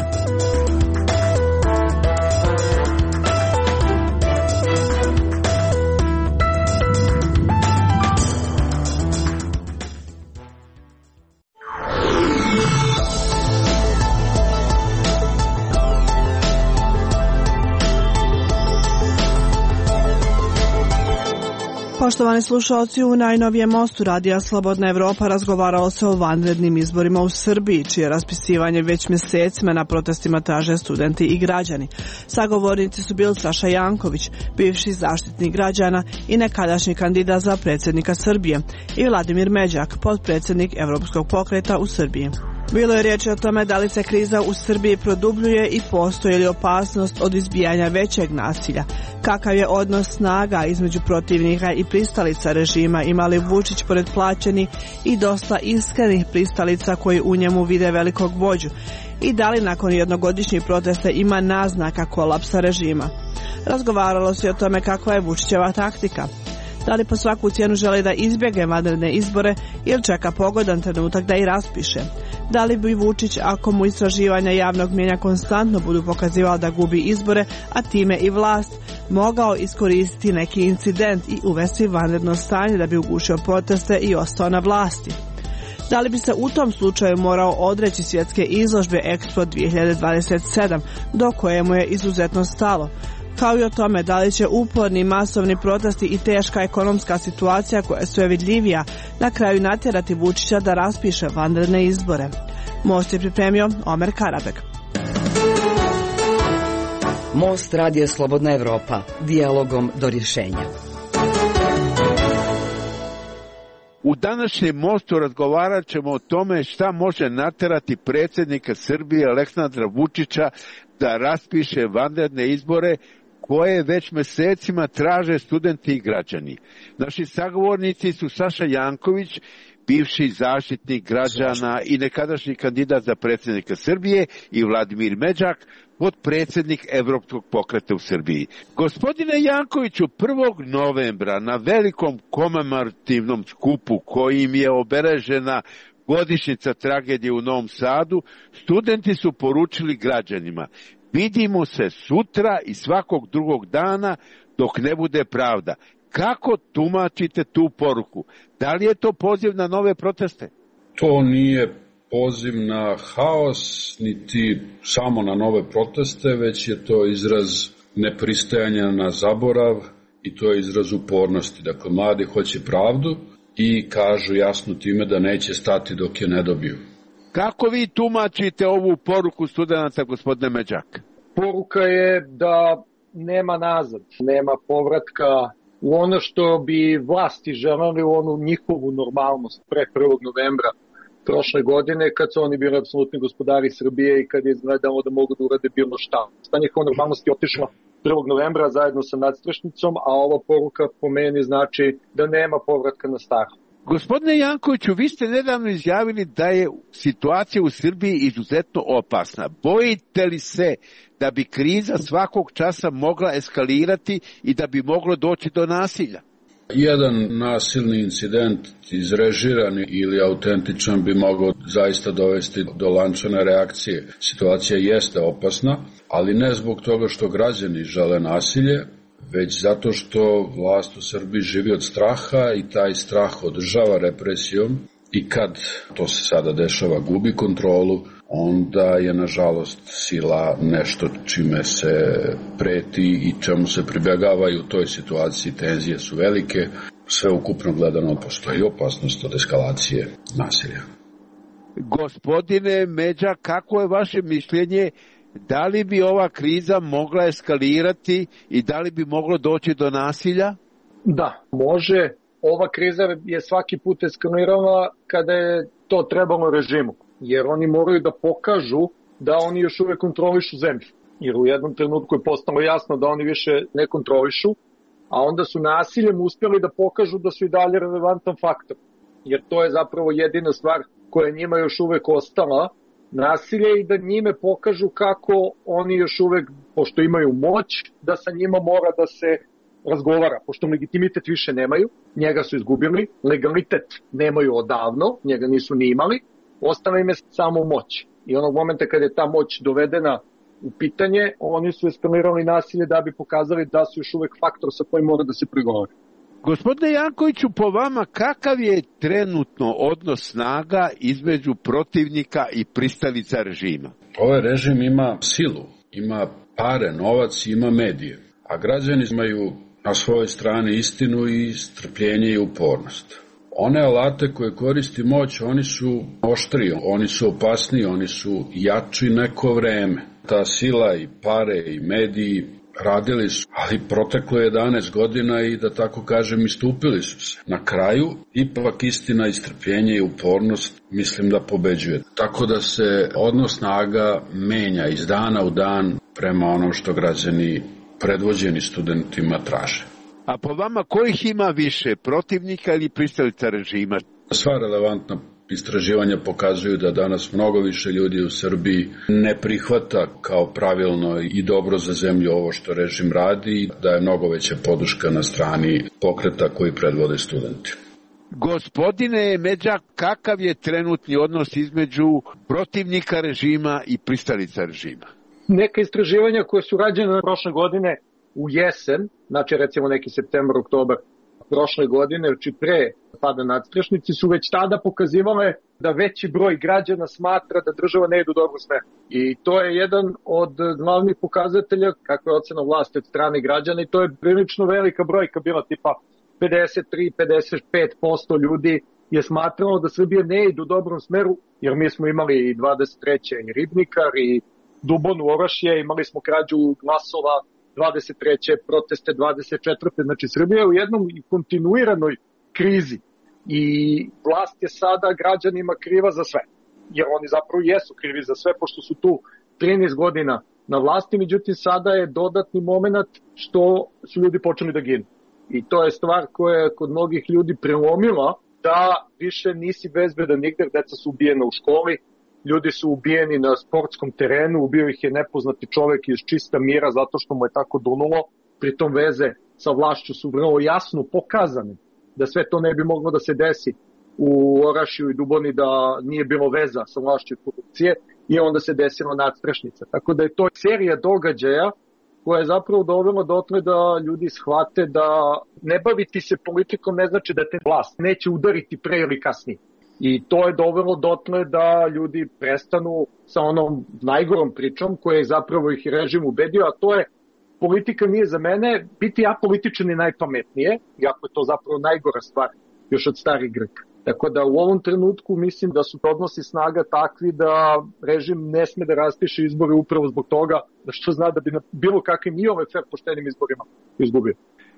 Poštovani slušalci, u najnovijem mostu Radija Slobodna Evropa razgovaralo se o vanrednim izborima u Srbiji, čije raspisivanje već mjesecima na protestima traže studenti i građani. Sagovornici su bili Saša Janković, bivši zaštitnik građana i nekadašnji kandidat za predsjednika Srbije, i Vladimir Međak, potpredsjednik Evropskog pokreta u Srbiji. Bilo je riječi o tome da li se kriza u Srbiji produbljuje i postoji li opasnost od izbijanja većeg nasilja. Kakav je odnos snaga između protivnika i pristalica režima, ima li Vučić pored plaćenih i dosta iskrenih pristalica koji u njemu vide velikog vođu, i da li nakon jednogodišnjih protesta ima naznaka kolapsa režima. Razgovaralo se o tome kakva je Vučićeva taktika. Da li po svaku cijenu želi da izbjegne vanredne izbore ili čeka pogodan trenutak da ih raspiše? Da li bi Vučić, ako mu istraživanja javnog mnijenja konstantno budu pokazivala da gubi izbore, a time i vlast, mogao iskoristiti neki incident i uvesti vanredno stanje da bi ugušio proteste i ostao na vlasti? Da li bi se u tom slučaju morao odreći svjetske izložbe Expo dvije hiljade dvadeset sedam, do koje mu je izuzetno stalo? Kao i o tome da li će uporni masovni protesti i teška ekonomska situacija koja je sve vidljivija na kraju natjerati Vučića da raspiše vanredne izbore. Most je pripremio Omer Karabek. Most Radija Slobodna Evropa, dijalogom do rješenja. U današnjem mostu razgovarat ćemo o tome šta može natjerati predsjednika Srbije Aleksandra Vučića da raspiše vanredne izbore koje već mjesecima traže studenti i građani. Naši sagovornici su Saša Janković, bivši zaštitnik građana i nekadašnji kandidat za predsjednika Srbije, i Vladimir Međak, potpredsjednik Evropskog pokreta u Srbiji. Gospodine Jankoviću, prvog novembra na velikom komemorativnom skupu kojim je obeležena godišnjica tragedije u Novom Sadu, studenti su poručili građanima: vidimo se sutra i svakog drugog dana dok ne bude pravda. Kako tumačite tu poruku? Da li je to poziv na nove proteste? To nije poziv na haos, niti samo na nove proteste, već je to izraz nepristajanja na zaborav i to je izraz upornosti. Dakle, mladi hoće pravdu i kažu jasno time da neće stati dok je ne dobiju. Kako vi tumačite ovu poruku studenta, gospodine Međak? Poruka je da nema nazad, nema povratka u ono što bi vlasti želeli, u onu njihovu normalnost pre prvog novembra prošle godine, kad su oni bili apsolutni gospodari Srbije i kad je izgledalo da mogu da urade bilo šta. Ta njihova normalnost je otišla prvog novembra zajedno sa nadstrešnicom, a ova poruka po meni znači da nema povratka na staro. Gospodine Jankoviću, vi ste nedavno izjavili da je situacija u Srbiji izuzetno opasna. Bojite li se da bi kriza svakog časa mogla eskalirati i da bi moglo doći do nasilja? Jedan nasilni incident, izrežiran ili autentičan, bi mogao zaista dovesti do lančane reakcije. Situacija jeste opasna, ali ne zbog toga što građani žele nasilje, već zato što vlast u Srbiji živi od straha i taj strah održava represijom, i kad to se sada dešava, gubi kontrolu, onda je nažalost sila nešto čime se preti i čemu se pribjegava, i u toj situaciji tenzije su velike. Sve ukupno gledano postoji opasnost od eskalacije nasilja. Gospodine Međa, kako je vaše mišljenje? Da li bi ova kriza mogla eskalirati i da li bi moglo doći do nasilja? Da, može. Ova kriza je svaki put eskalirala kada je to trebalo režimu, jer oni moraju da pokažu da oni još uvek kontrolišu zemlju. Jer u jednom trenutku je postalo jasno da oni više ne kontrolišu, a onda su nasiljem uspjeli da pokažu da su i dalje relevantan faktor. Jer to je zapravo jedina stvar koja njima još uvek ostala nasilje i da njime pokažu kako oni još uvek, pošto imaju moć, da sa njima mora da se razgovara, pošto legitimitet više nemaju, njega su izgubili, legalitet nemaju odavno, njega nisu ni imali, ostala im je samo moć. I onog momenta kada je ta moć dovedena u pitanje, oni su eskalirali nasilje da bi pokazali da su još uvek faktor sa kojim mora da se pregovori. Gospodine Jankoviću, po vama kakav je trenutno odnos snaga između protivnika i pristalica režima? Ovaj režim ima silu, ima pare, novac, ima medije, a građani imaju na svojoj strani istinu i strpljenje i upornost. One alate koje koristi moć, oni su oštriji, oni su opasniji, oni su jači neko vreme. Ta sila i pare i mediji radili su, ali proteklo je jedanaest godina i da tako kažem istupili su se. Na kraju, ipak istina i strpljenje i upornost mislim da pobeđuje. Tako da se odnos snaga menja iz dana u dan prema onom što građani predvođeni studentima traže. A po vama kojih ima više, protivnika ili pristalica režima? Sva relevantna istraživanja pokazuju da danas mnogo više ljudi u Srbiji ne prihvata kao pravilno i dobro za zemlju ovo što režim radi, da je mnogo veća podrška na strani pokreta koji predvode studenti. Gospodine Međak, kakav je trenutni odnos između protivnika režima i pristalica režima? Neka istraživanja koje su rađene prošle godine u jesen, znači recimo neki septembar, oktobar prošle godine, znači pre pada nadstrešnici, su već tada pokazivale da veći broj građana smatra da država ne ide u dobru smeru. I to je jedan od glavnih pokazatelja kakva je ocena vlasti od strane građana i to je prilično velika brojka bila, tipa pedeset tri do pedeset pet posto ljudi je smatralo da Srbija ne ide u dobrom smeru, jer mi smo imali i dvadeset treće i Ribnikar i Dubonu Orašje, imali smo krađu glasova dvadeset treće proteste dvadeset četvrte Znači Srbija je u jednom kontinuiranoj krizi i vlast je sada građanima kriva za sve. Jer oni zapravo jesu krivi za sve, pošto su tu trinaest godina na vlasti, međutim sada je dodatni moment što su ljudi počeli da ginu. I to je stvar koja je kod mnogih ljudi prelomila da više nisi bezbedan nigde, deca su ubijena u školi, ljudi su ubijeni na sportskom terenu, ubio ih je nepoznati čovek iz čista mira zato što mu je tako dunulo, pritom veze sa vlašću su vrlo jasno pokazane da sve to ne bi moglo da se desi u Orašju i Duboni da nije bilo veza sa vlašću i korupcije i onda se desila nadstrešnica. Tako da je to serija događaja koja je zapravo dovela dotle da ljudi shvate da ne baviti se politikom ne znači da te vlast neće udariti pre ili kasnije. I to je dovelo dotle da ljudi prestanu sa onom najgorom pričom koja je zapravo ih režim ubedio, a to je politika nije za mene, biti apolitičan je najpametnije, iako je to zapravo najgora stvar još od starih Grka. Tako da u ovom trenutku mislim da su odnosi snaga takvi da režim ne sme da raspiše izbore upravo zbog toga, da što zna da bi na bilo kakvim i ove fer poštenim izborima izgubio.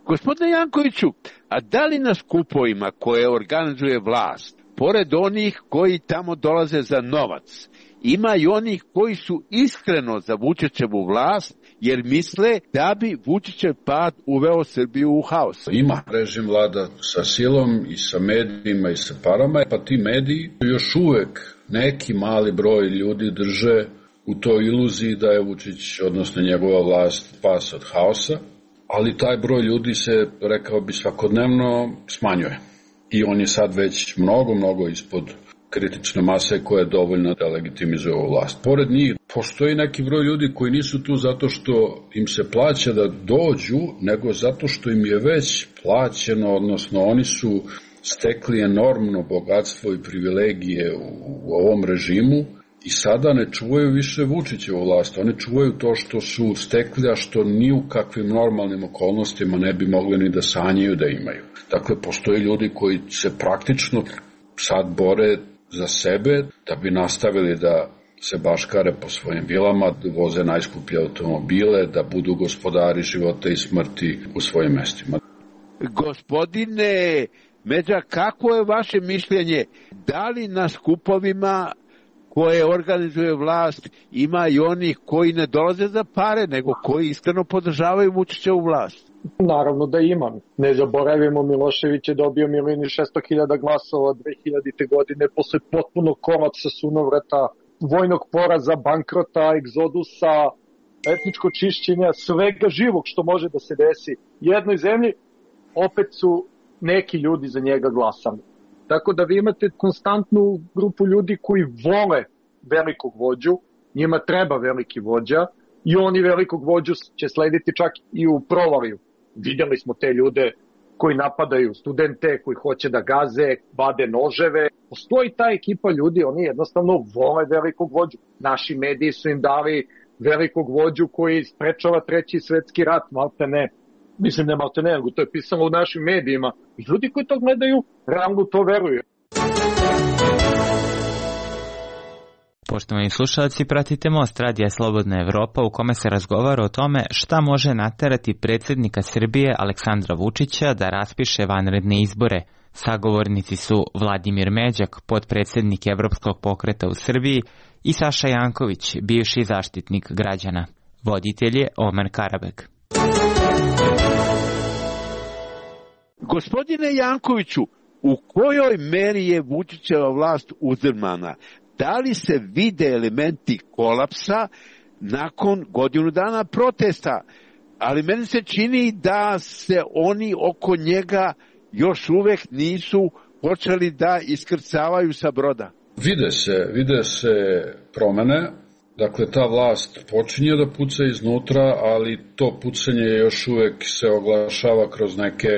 Gospodine Jankoviću, a da li na skupovima koje organizuje vlast, pored onih koji tamo dolaze za novac, ima i onih koji su iskreno za Vučićevu vlast, jer misle da bi Vučićev pad uveo Srbiju u haos? Ima. Režim vlada sa silom i sa medijima i sa parama, pa ti mediji još uvek neki mali broj ljudi drže u toj iluziji da je Vučić, odnosno njegova vlast, spas od haosa, ali taj broj ljudi se, rekao bi, svakodnevno smanjuje. I on je sad već mnogo, mnogo ispod kritične mase koja je dovoljna da legitimizuje ovu vlast. Pored njih postoji neki broj ljudi koji nisu tu zato što im se plaća da dođu, nego zato što im je već plaćeno, odnosno oni su stekli enormno bogatstvo i privilegije u ovom režimu i sada ne čuvaju više Vučićevu vlast. Oni čuvaju to što su stekli, a što ni u kakvim normalnim okolnostima ne bi mogli ni da sanjaju da imaju. Dakle, postoje ljudi koji se praktično sad bore za sebe da bi nastavili da se baškare po svojim vilama, da voze najskuplje automobile, da budu gospodari života i smrti u svojim mestima. Gospodine Međa, kako je vaše mišljenje? Da li na skupovima koje organizuje vlast ima i onih koji ne dolaze za pare, nego koji iskreno podržavaju Vučićevu vlast? Naravno da ima. Ne zaboravimo, Milošević je dobio milijun i šesto hiljada glasova dve hiljadite godine posle potpunog kolapsa sunovrata vojnog poraza, bankrota, egzodusa, etničko čišćenja, svega živog što može da se desi jednoj zemlji, opet su neki ljudi za njega glasali. Tako da vi imate konstantnu grupu ljudi koji vole velikog vođu, njima treba veliki vođa i oni velikog vođu će slediti čak i u provaliju. Vidjeli smo te ljude koji napadaju studente, koji hoće da gaze, vade noževe. Postoji ta ekipa ljudi, oni jednostavno vole velikog vođu. Naši mediji su im dali velikog vođu koji sprečava treći svetski rat, malte ne. Mislim ne malte ne, nego to je pisano u našim medijima. I ljudi koji to gledaju, realno to veruju. Poštovani slušalci, pratite Most radija Slobodna Evropa u kome se razgovara o tome šta može naterati predsjednika Srbije Aleksandra Vučića da raspiše vanredne izbore. Sagovornici su Vladimir Međak, potpredsjednik Evropskog pokreta u Srbiji, i Saša Janković, bivši zaštitnik građana. Voditelj je Omer Karabek. Gospodine Jankoviću, u kojoj meri je Vučićeva vlast uzdrmana? Da li se vide elementi kolapsa nakon godinu dana protesta? Ali meni se čini da se oni oko njega još uvek nisu počeli da iskrcavaju sa broda. Vide se, vide se promene. Dakle, ta vlast počinje da puca iznutra, ali to pucanje još uvek se oglašava kroz neke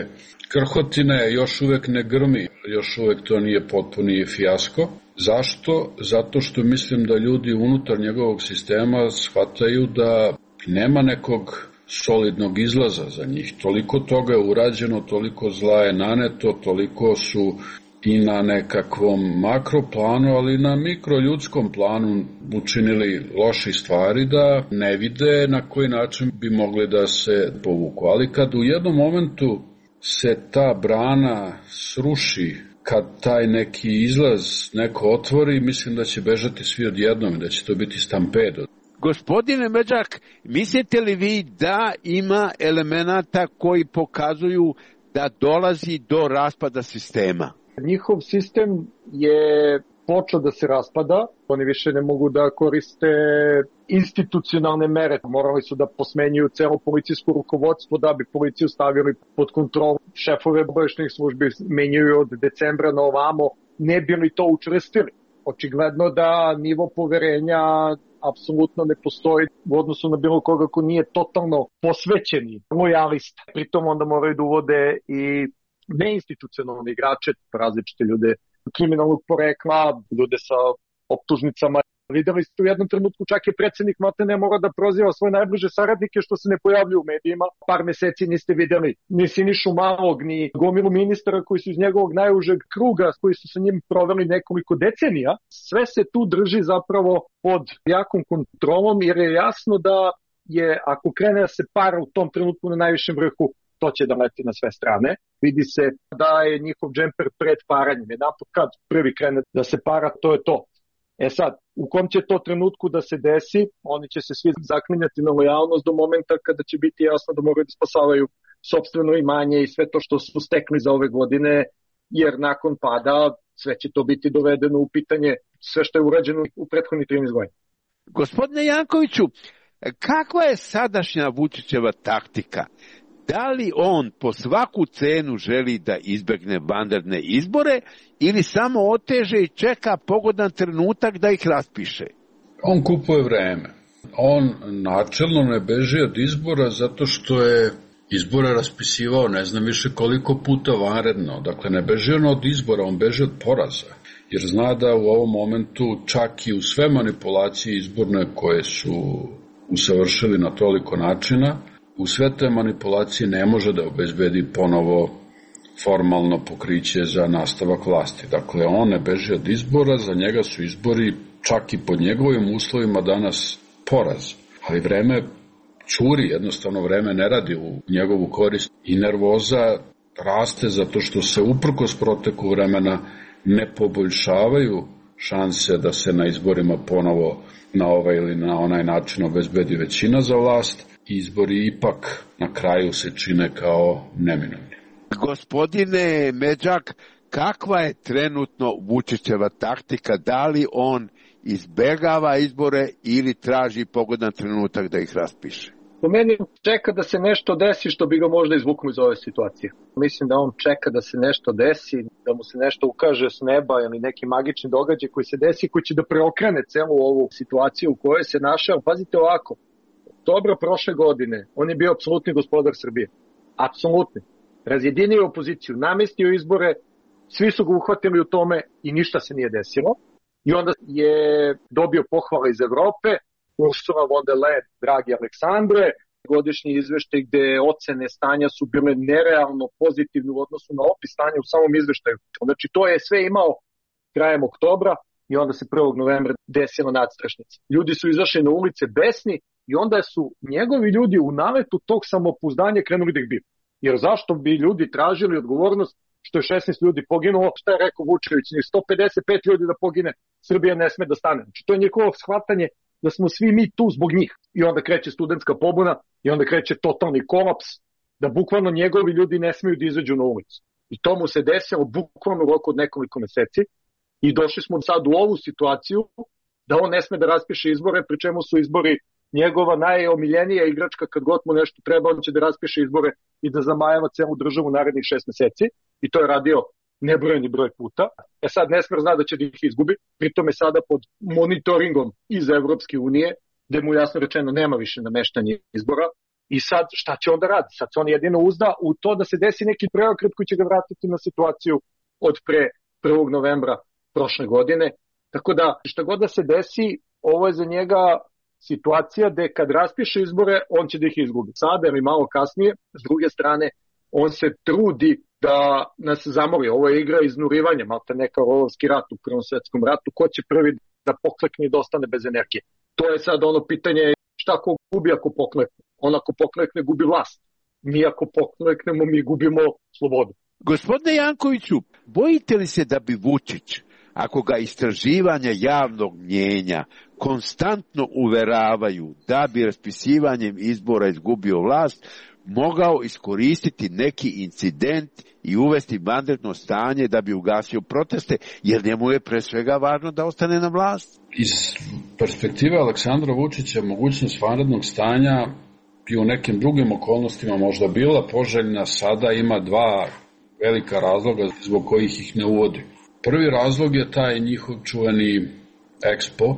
krhotine, još uvek ne grmi, još uvek to nije potpuni fijasko. Zašto? Zato što mislim da ljudi unutar njegovog sistema shvataju da nema nekog solidnog izlaza za njih. Toliko toga je urađeno, toliko zla je naneto, toliko su i na nekakvom makroplanu, ali i na mikroljudskom planu učinili loši stvari da ne vide na koji način bi mogli da se povuku. Ali kad u jednom momentu se ta brana sruši, kad taj neki izlaz neko otvori, mislim da će bežati svi odjednom i da će to biti stampedo. Gospodine Međak, mislite li vi da ima elemenata koji pokazuju da dolazi do raspada sistema? Njihov sistem je počeo da se raspada, oni više ne mogu da koriste institucionalne mere, morali su da posmenjuju celo policijsko rukovodstvo da bi policiju stavili pod kontrolu. Šefove obaveštajnih službi menjaju od decembra na ovamo, ne bi li to učvrstili. Očigledno da nivo poverenja apsolutno ne postoji u odnosu na bilo koga ko nije totalno posvećeni lojalista. Pritom onda moraju da uvode i neinstitucionalne igrače, različite ljude kriminalnog porekla, ljude sa optužnicama. Videli ste u jednom trenutku čak je predsjednik Matene mora da proziva svoje najbliže saradnike što se ne pojavljuju u medijima. Par meseci niste videli ni Sinišu Malog, ni gomilu ministara koji su iz njegovog najužeg kruga, koji su sa njim proveli nekoliko decenija. Sve se tu drži zapravo pod jakom kontrolom jer je jasno da je, ako krene da se para u tom trenutku na najvišem vrhu, to će da leti na sve strane. Vidi se da je njihov džemper pred paranjem. Jedanput kad prvi krene da se para, to je to. E sad, u kom će to trenutku da se desi, oni će se svi zaklinjati na lojalnost do momenta kada će biti jasno da moraju da spasavaju sopstveno imanje i sve to što su stekli za ove godine, jer nakon pada sve će to biti dovedeno u pitanje, sve što je urađeno u prethodnih trinaest godina. Gospodine Jankoviću, kakva je sadašnja Vučićeva taktika? Da li on po svaku cenu želi da izbegne vanredne izbore ili samo oteže i čeka pogodan trenutak da ih raspiše? On kupuje vreme. On načelno ne beži od izbora zato što je izbore raspisivao ne znam više koliko puta vanredno. Dakle, ne beži on od izbora, on beži od poraza. Jer zna da u ovom momentu čak i u sve manipulacije izborne koje su usavršili na toliko načina, u sve te manipulacije ne može da obezbedi ponovo formalno pokriće za nastavak vlasti. Dakle, on ne beži od izbora, za njega su izbori čak i pod njegovim uslovima danas poraz. Ali vreme curi, jednostavno vreme ne radi u njegovu korist i nervoza raste zato što se uprkos proteku vremena ne poboljšavaju šanse da se na izborima ponovo na ovaj ili na onaj način obezbedi većina za vlast. Izbori ipak na kraju se čine kao neminovni. Gospodine Međak, kakva je trenutno Vučićeva taktika? Da li on izbegava izbore ili traži pogodan trenutak da ih raspiše? Po meni čeka da se nešto desi što bi ga možda izvuklo iz ove situacije. Mislim da on čeka da se nešto desi, da mu se nešto ukaže s neba ili neki magični događaj koji se desi, koji će da preokrene celu ovu situaciju u kojoj se našao. Pazite ovako, oktobra prošle godine on je bio apsolutni gospodar Srbije. Apsolutni. Razjedinio opoziciju, namestio izbore, svi su ga uhvatili u tome i ništa se nije desilo. I onda je dobio pohvale iz Evrope, Ursula von der Leyen, dragi Aleksandre, godišnji izveštaj gde ocene stanja su bile nerealno pozitivne u odnosu na opis stanja u samom izveštaju. Znači to je sve imao krajem oktobra i onda se prvog novembra desila nadstrašnica. Ljudi su izašli na ulice besni i onda su njegovi ljudi u naletu tog samopouzdanja krenuli da ih biju. Jer zašto bi ljudi tražili odgovornost što je šesnaest ljudi poginulo, šta je rekao Vučević, sto pedeset pet ljudi da pogine, Srbija ne sme da stane. Znači to je njihovo shvatanje da smo svi mi tu zbog njih. I onda kreće studentska pobuna i onda kreće totalni kolaps, da bukvalno njegovi ljudi ne smeju da izađu na ulicu. I to mu se desilo bukvalno u roku od nekoliko meseci i došli smo sad u ovu situaciju da on ne sme da raspiše izbore, pri čemu su izbori njegova najomiljenija igračka, kad god mu nešto treba, on će da raspiše izbore i da zamajava celu državu narednih šest meseci. I to je radio nebrojeni broj puta. E sad Nesmer zna da će da ih izgubi, pritom je sada pod monitoringom iz Evropske unije, gde mu jasno rečeno nema više nameštanja izbora. I sad šta će onda radi? Sad se on jedino uzda u to da se desi neki preokret koji će ga vratiti na situaciju od pre prvog novembra prošle godine. Tako da šta god da se desi, ovo je za njega situacija gde kad raspiše izbore, on će da ih izgubi. Sada ili malo kasnije, s druge strane, on se trudi da nas zamori. Ovo je igra iznurivanja, malta neka rolovski rat u Prvom svetskom ratu. Ko će prvi da poklekne i da ostane bez energije? To je sad ono pitanje šta ko gubi ako poklekne. On ako poklekne gubi vlast. Mi ako pokleknemo, mi gubimo slobodu. Gospodine Jankoviću, bojite li se da bi Vučić, ako ga istraživanja javnog mnjenja konstantno uveravaju da bi raspisivanjem izbora izgubio vlast, mogao iskoristiti neki incident i uvesti vanredno stanje da bi ugasio proteste, jer njemu je pre svega važno da ostane na vlast? Iz perspektive Aleksandra Vučića mogućnost vanrednog stanja i u nekim drugim okolnostima možda bila poželjna, sada ima dva velika razloga zbog kojih ih ne uvodi. Prvi razlog je taj njihov čuveni Expo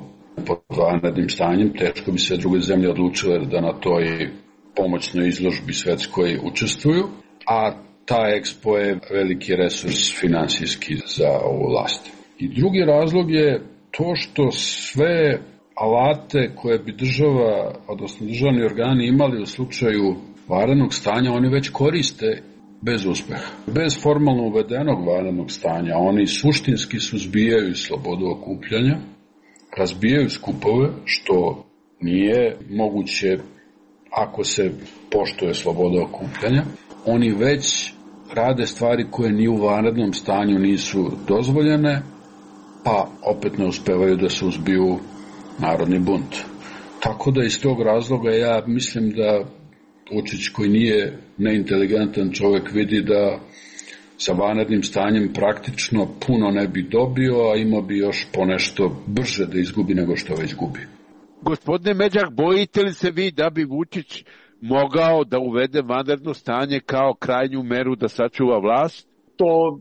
pod vanrednim stanjem. Teško bi se druge zemlje odlučile da na toj pomoćnoj izložbi svetskoj učestvuju, a ta Expo je veliki resurs finansijski za ovu vlast. I drugi razlog je to što sve alate koje bi država, odnosno državni organi imali u slučaju vanrednog stanja, oni već koriste bez uspeha. Bez formalno uvedenog vanrednog stanja oni suštinski suzbijaju slobodu okupljanja, razbijaju skupove, što nije moguće ako se poštuje sloboda okupljanja. Oni već rade stvari koje ni u vanrednom stanju nisu dozvoljene, pa opet ne uspevaju da suzbiju narodni bunt. Tako da iz tog razloga ja mislim da Vučić, koji nije neinteligentan čovjek, vidi da sa vanrednim stanjem praktično puno ne bi dobio, a imao bi još ponešto brže da izgubi nego što već gubi. Gospodine Međak, bojite li se vi da bi Vučić mogao da uvede vanredno stanje kao krajnju meru da sačuva vlast? To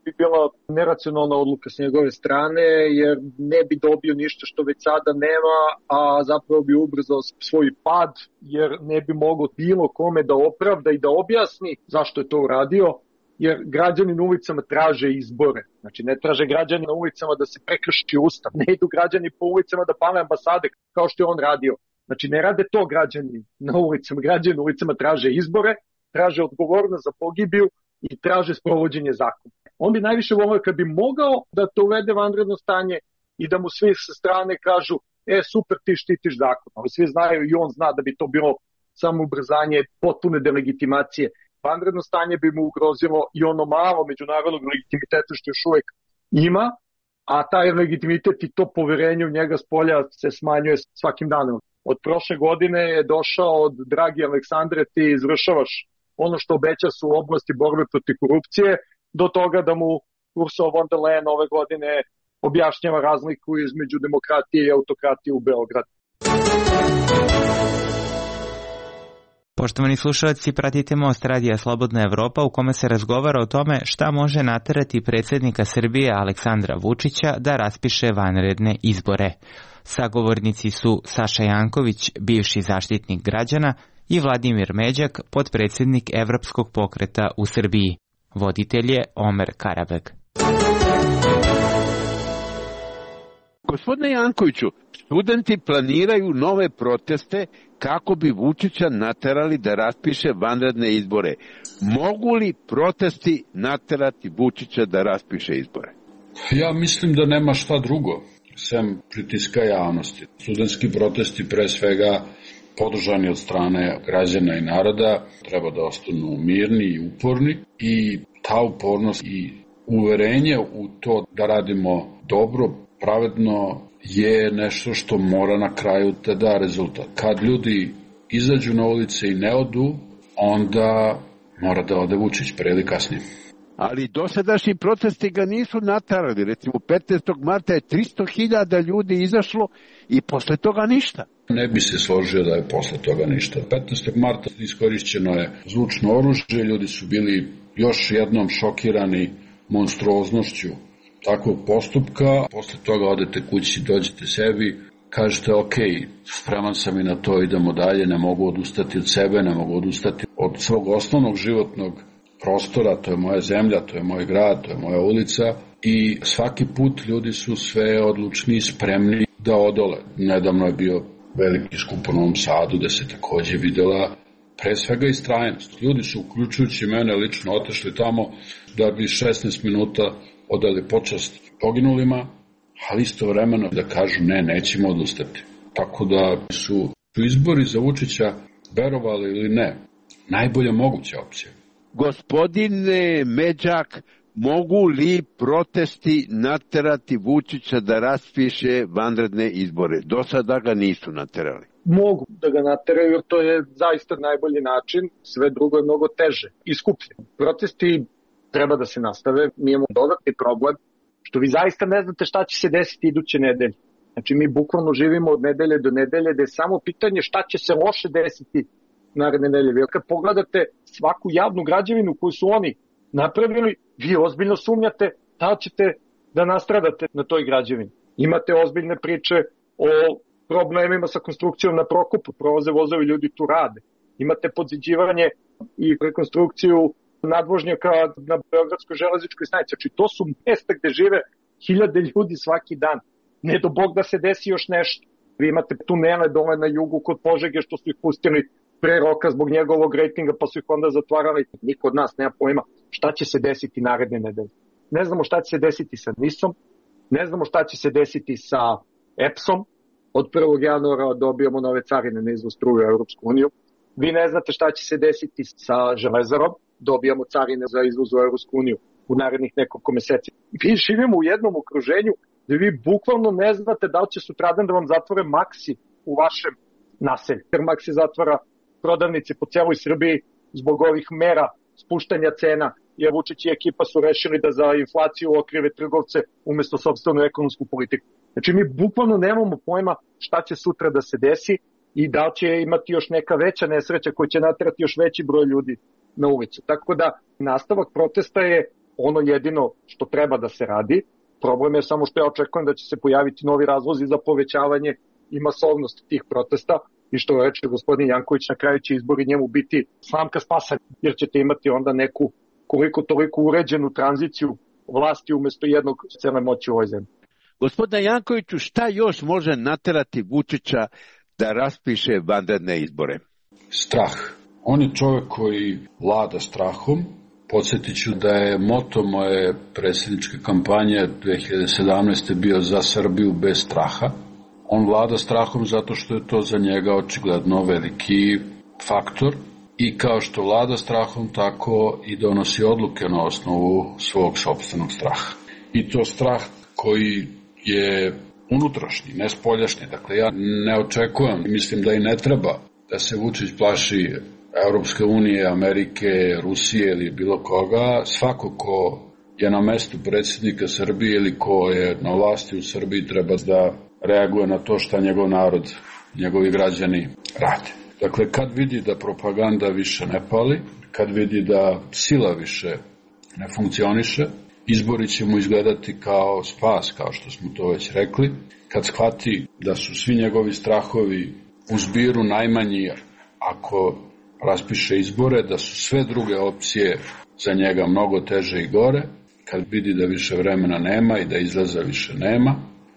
bi bila neracionalna odluka s njegove strane, jer ne bi dobio ništa što već sada nema, a zapravo bi ubrzao svoj pad, jer ne bi mogao bilo kome da opravda i da objasni zašto je to uradio, jer građani na ulicama traže izbore. Znači ne traže građani na ulicama da se prekrši ustav, ne idu građani po ulicama da pale ambasade kao što je on radio. Znači ne rade to građani na ulicama, građani na ulicama traže izbore, traže odgovornost za pogibiju i traže sprovođenje zakona. On bi najviše volio kad bi mogao da to uvede vanredno stanje i da mu svi sa strane kažu, e super, ti štitiš zakon. Ali svi znaju i on zna da bi to bilo samo ubrzanje potpune delegitimacije. Vanredno stanje bi mu ugrozilo i ono malo međunarodnog legitimiteta što još uvek ima, a taj legitimitet i to poverenje u njega s polja se smanjuje svakim danom. Od prošle godine je došao od dragi Aleksandre, ti izvršavaš ono što obeća su u oblasti borbe protiv korupcije, do toga da mu Ursula von der Leyen ove godine objašnjava razliku između demokratije i autokratije u Beogradu. Poštovani slušalci, pratite Most radija Slobodna Evropa u kome se razgovara o tome šta može naterati predsjednika Srbije Aleksandra Vučića da raspiše vanredne izbore. Sagovornici su Saša Janković, bivši zaštitnik građana, i Vladimir Međak, potpredsjednik Evropskog pokreta u Srbiji. Voditelj je Omer Karabeg. Gospodine Jankoviću, studenti planiraju nove proteste kako bi Vučića naterali da raspiše vanredne izbore. Mogu li protesti naterati Vučića da raspiše izbore? Ja mislim da nema šta drugo, sem pritiska javnosti. Studentski protesti, pre svega podržani od strane građana i naroda, treba da ostanu mirni i uporni, i ta upornost i uverenje u to da radimo dobro, pravedno, je nešto što mora na kraju te da rezultat. Kad ljudi izađu na ulice i ne odu, onda mora da ode Vučić pre ili kasnije. Ali dosadašnji protesti ga nisu naterali. Recimo petnaestog marta je tristo hiljada ljudi izašlo i posle toga ništa. Ne bi se složio da je posle toga ništa. petnaestog marta iskorišćeno je zvučno oružje, ljudi su bili još jednom šokirani monstruoznošću takvog postupka. Posle toga odete kući, dođete sebi, kažete ok, spreman sam i na to, idemo dalje, ne mogu odustati od sebe, ne mogu odustati od svog osnovnog životnog prostora, to je moja zemlja, to je moj grad, to je moja ulica, i svaki put ljudi su sve odlučni i spremni da odole. Nedavno je bio veliki skup u Novom Sadu, gde se takođe videla pre svega istrajnost. Ljudi su, uključujući mene lično, otešli tamo da bi šesnaest minuta odali počast poginulima, ali istovremeno da kažu ne, nećemo odustati. Tako da su izbori za Vučića, verovali ili ne, najbolja moguća opcija. Gospodine Međak, mogu li protesti naterati Vučića da raspiše vanredne izbore? Do sada ga nisu naterali. Mogu da ga nateraju, jer to je zaista najbolji način, sve drugo je mnogo teže i skuplje. Protesti treba da se nastave, mi imamo dodatni problem, što vi zaista ne znate šta će se desiti iduće nedelje. Znači mi bukvalno živimo od nedelje do nedelje, da je samo pitanje šta će se loše desiti naredne nedelje. Jer kad pogledate svaku javnu građevinu koju su oni napravili, vi ozbiljno sumnjate da ćete da nastradate na toj građevini. Imate ozbiljne priče o problemima sa konstrukcijom na Prokopu, prolaze vozovi, ljudi tu rade. Imate podziđivanje i rekonstrukciju nadvožnjaka na Beogradskoj železničkoj stanici. Znači to su mesta gde žive hiljade ljudi svaki dan. Ne do Bog da se desi još nešto. Vi imate tunele dole na jugu kod Požege što su ih pustili pre roka zbog njegovog rejtinga, pa su ih onda zatvarali. Niko od nas nema pojma šta će se desiti naredne nedelje. Ne znamo šta će se desiti sa NIS-om, ne znamo šta će se desiti sa E P S-om. Od prvog januara dobijamo nove carine na izvoz struje u Europsku uniju. Vi ne znate šta će se desiti sa Železarom, dobijamo carine za izvoz u Europsku uniju u narednih nekoliko meseci. Vi živimo u jednom okruženju gde vi bukvalno ne znate da li će sutradan da vam zatvore Maxi u vašem naselju. Jer Maxi zatvara prodavnice po celoj Srbiji zbog ovih mera spuštanja cena, jer Vučić i ekipa su rešili da za inflaciju okrive trgovce umesto sopstvenu ekonomsku politiku. Znači mi bukvalno nemamo pojma šta će sutra da se desi i da li će imati još neka veća nesreća koja će naterati još veći broj ljudi na ulicu. Tako da nastavak protesta je ono jedino što treba da se radi. Problem je samo što ja očekujem da će se pojaviti novi razlozi za povećavanje i masovnost tih protesta i što reče gospodin Janković, na kraju će izbori njemu biti slamka spasa, jer ćete imati onda neku koliko toliko uređenu tranziciju vlasti umesto jednog cele moći u ovoj zemlji. Gospodine Jankoviću, šta još može naterati Vučića da raspiše vanredne izbore? Strah. On je čovjek koji vlada strahom. Podsjetit ću da je moto moje predsjedničke kampanje dve hiljade sedamnaeste. bio za Srbiju bez straha. On vlada strahom zato što je to za njega očigledno veliki faktor i kao što vlada strahom, tako i donosi odluke na osnovu svog sopstvenog straha. I to strah koji je unutrašnji, ne spoljašnji. Dakle, ja ne očekujem, mislim da i ne treba da se Vučić plaši Europske unije, Amerike, Rusije ili bilo koga. Svako ko je na mestu predsjednika Srbije ili ko je na vlasti u Srbiji treba da reaguje na to šta njegov narod, njegovi građani rade. Dakle, kad vidi da propaganda više ne pali, kad vidi da sila više ne funkcioniše, izbori će mu izgledati kao spas, kao što smo to već rekli. Kad shvati da su svi njegovi strahovi u zbiru najmanji ako raspiše izbore, da su sve druge opcije za njega mnogo teže i gore, kad vidi da više vremena nema i da izlaza više nema,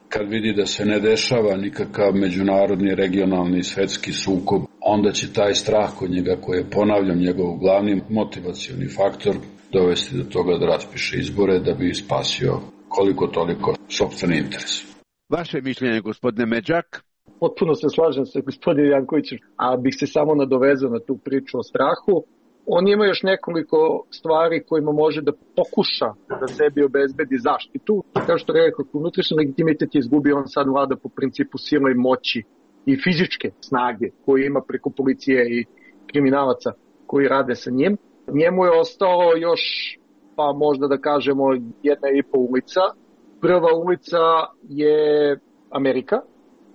kad vidi da se ne dešava nikakav međunarodni, regionalni, svetski sukob, onda će taj strah kod njega, koji je, ponavljam, njegov glavni motivacioni faktor, dovesti do toga da raspiše izbore da bi spasio koliko toliko sopstveni interes. Vaše mišljenje, gospodine Međak? Potpuno se slažem sa gospodinom Jankovićem, a bih se samo nadovezao na tu priču o strahu. On ima još nekoliko stvari kojima može da pokuša da sebi obezbedi zaštitu. Kao što rekao, unutrašnji legitimitet je izgubio, on sad vlada po principu sile i moći i fizičke snage koje ima preko policije i kriminalaca koji rade sa njim. Njemu je ostalo još, pa možda da kažemo, jedna i po ulica. Prva ulica je Amerika,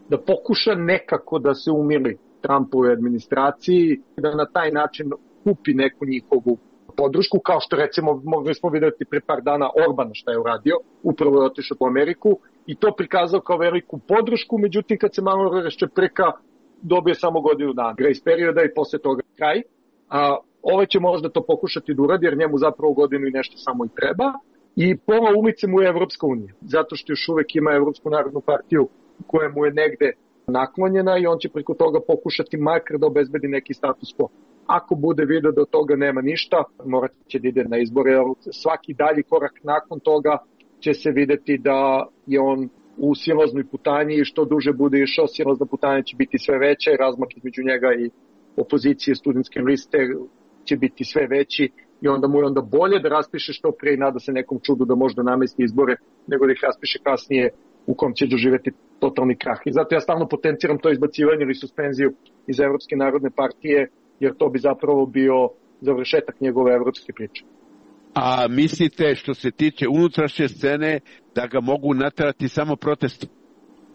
da pokuša nekako da se umili Trumpovoj administraciji, da na taj način kupi neku njihovu podršku, kao što recimo mogli smo vidjeti pre par dana Orbana šta je uradio, upravo je otišao po Ameriku i to prikazao kao veliku podršku, međutim kad se malo raščepreka dobije samo godinu dana grace perioda i posle toga kraj. A ove će možda to pokušati da uradi jer njemu zapravo godinu i nešto samo i treba. I pola ulice mu je Evropska unija, zato što još uvek ima Evropsku narodnu partiju koja mu je negde naklonjena i on će preko toga pokušati makar da obezbedi neki status quo. Ako bude vidio da od toga nema ništa, morat će da ide na izbore. Svaki dalji korak nakon toga će se videti da je on u silaznoj putanji i što duže bude išao, silazna putanja će biti sve veća i razmak između njega i opozicije studentske liste će biti sve veći i onda mu je onda bolje da raspiše što prije i nada se nekom čudu da možda namesti izbore nego da ih raspiše kasnije u kom će doživjeti totalni krah. I zato ja stalno potenciram to izbacivanje ili suspenziju iz Evropske narodne partije, jer to bi zapravo bio završetak njegove evropske priče. A mislite što se tiče unutrašnje scene da ga mogu naterati samo protesti?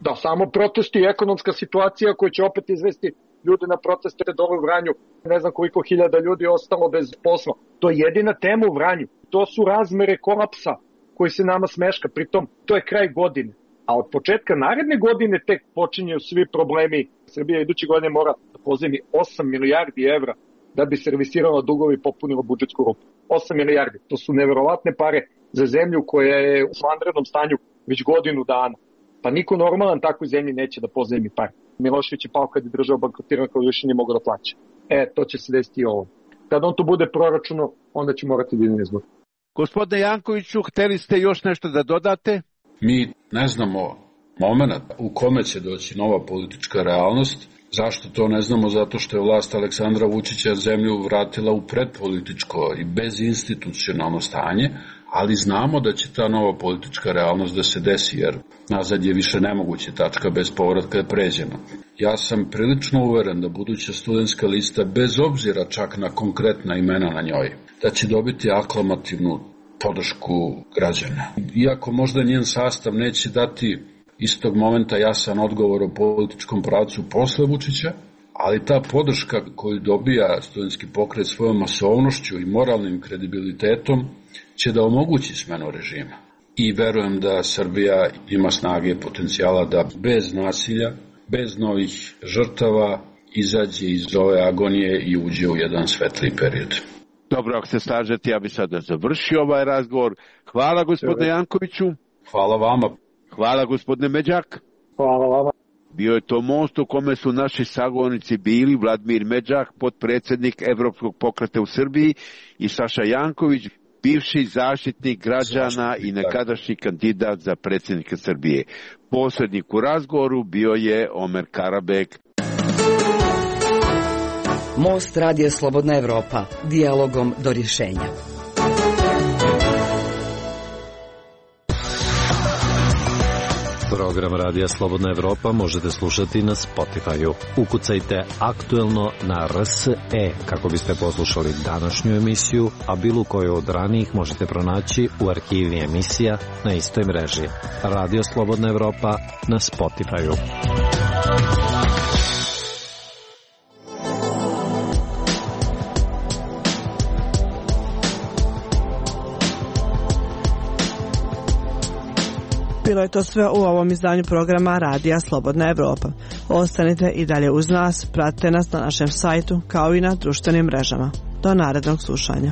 Da, samo protesti i ekonomska situacija koja će opet izvesti ljude na proteste dole u Vranju. Ne znam koliko hiljada ljudi je ostalo bez posla. To je jedina tema u Vranju. To su razmere kolapsa koji se nama smeška. Pritom, to je kraj godine. A od početka naredne godine tek počinju svi problemi. Srbija iduće godine mora da pozajmi osam milijardi evra da bi servisirala dugove i popunila budžetsku rupu. osam milijardi. To su neverovatne pare za zemlju koja je u vanrednom stanju već godinu dana. Pa niko normalan takvoj zemlji neće da pozajmi pare. Milošević je pao kad je država bankrotirana kao više nije mogao da plaća. E, to će se desiti i ovo. Kad on to bude proračuno, onda će morati da ide na izbor. Gospodine Jankoviću, hteli ste još nešto da dodate? Mi ne znamo moment u kome će doći nova politička realnost. Zašto to ne znamo? Zato što je vlast Aleksandra Vučića zemlju vratila u predpolitičko i bezinstitucionalno stanje, ali znamo da će ta nova politička realnost da se desi, jer nazad je više nemoguće, tačka bez povratka je pređena. Ja sam prilično uveren da buduća studentska lista, bez obzira čak na konkretna imena na njoj, da će dobiti aklamativnu podršku građana. Iako možda njen sastav neće dati istog momenta jasan odgovor o političkom pravcu posle Vučića, ali ta podrška koju dobija studentski pokret svojom masovnošću i moralnim kredibilitetom će da omogući smenu režima. I verujem da Srbija ima snage i potencijala da bez nasilja, bez novih žrtava izađe iz ove agonije i uđe u jedan svetliji period. Dobro, ako se slažete, ja bih sada završio ovaj razgovor. Hvala gospodine Jankoviću. Hvala vama. Hvala gospodine Međak. Hvala vama. Bio je to most u kome su naši sagovornici bili Vladimir Međak, potpredsjednik Evropskog pokreta u Srbiji, i Saša Janković, bivši zaštitnik građana i nekadašnji kandidat za predsjednika Srbije. Posrednik u razgovoru bio je Omer Karabek. Most radija Slobodna Evropa, dijalogom do rješenja. Program Radija Slobodna Evropa možete slušati na Spotify-u. Ukucajte aktuelno na R S E kako biste poslušali današnju emisiju, a bilo koju od ranijih možete pronaći u arhivi emisija na istoj mreži. Radio Slobodna Evropa na Spotify-u. Bilo je to sve u ovom izdanju programa Radija Slobodna Evropa. Ostanite i dalje uz nas, pratite nas na našem sajtu kao i na društvenim mrežama. Do narednog slušanja.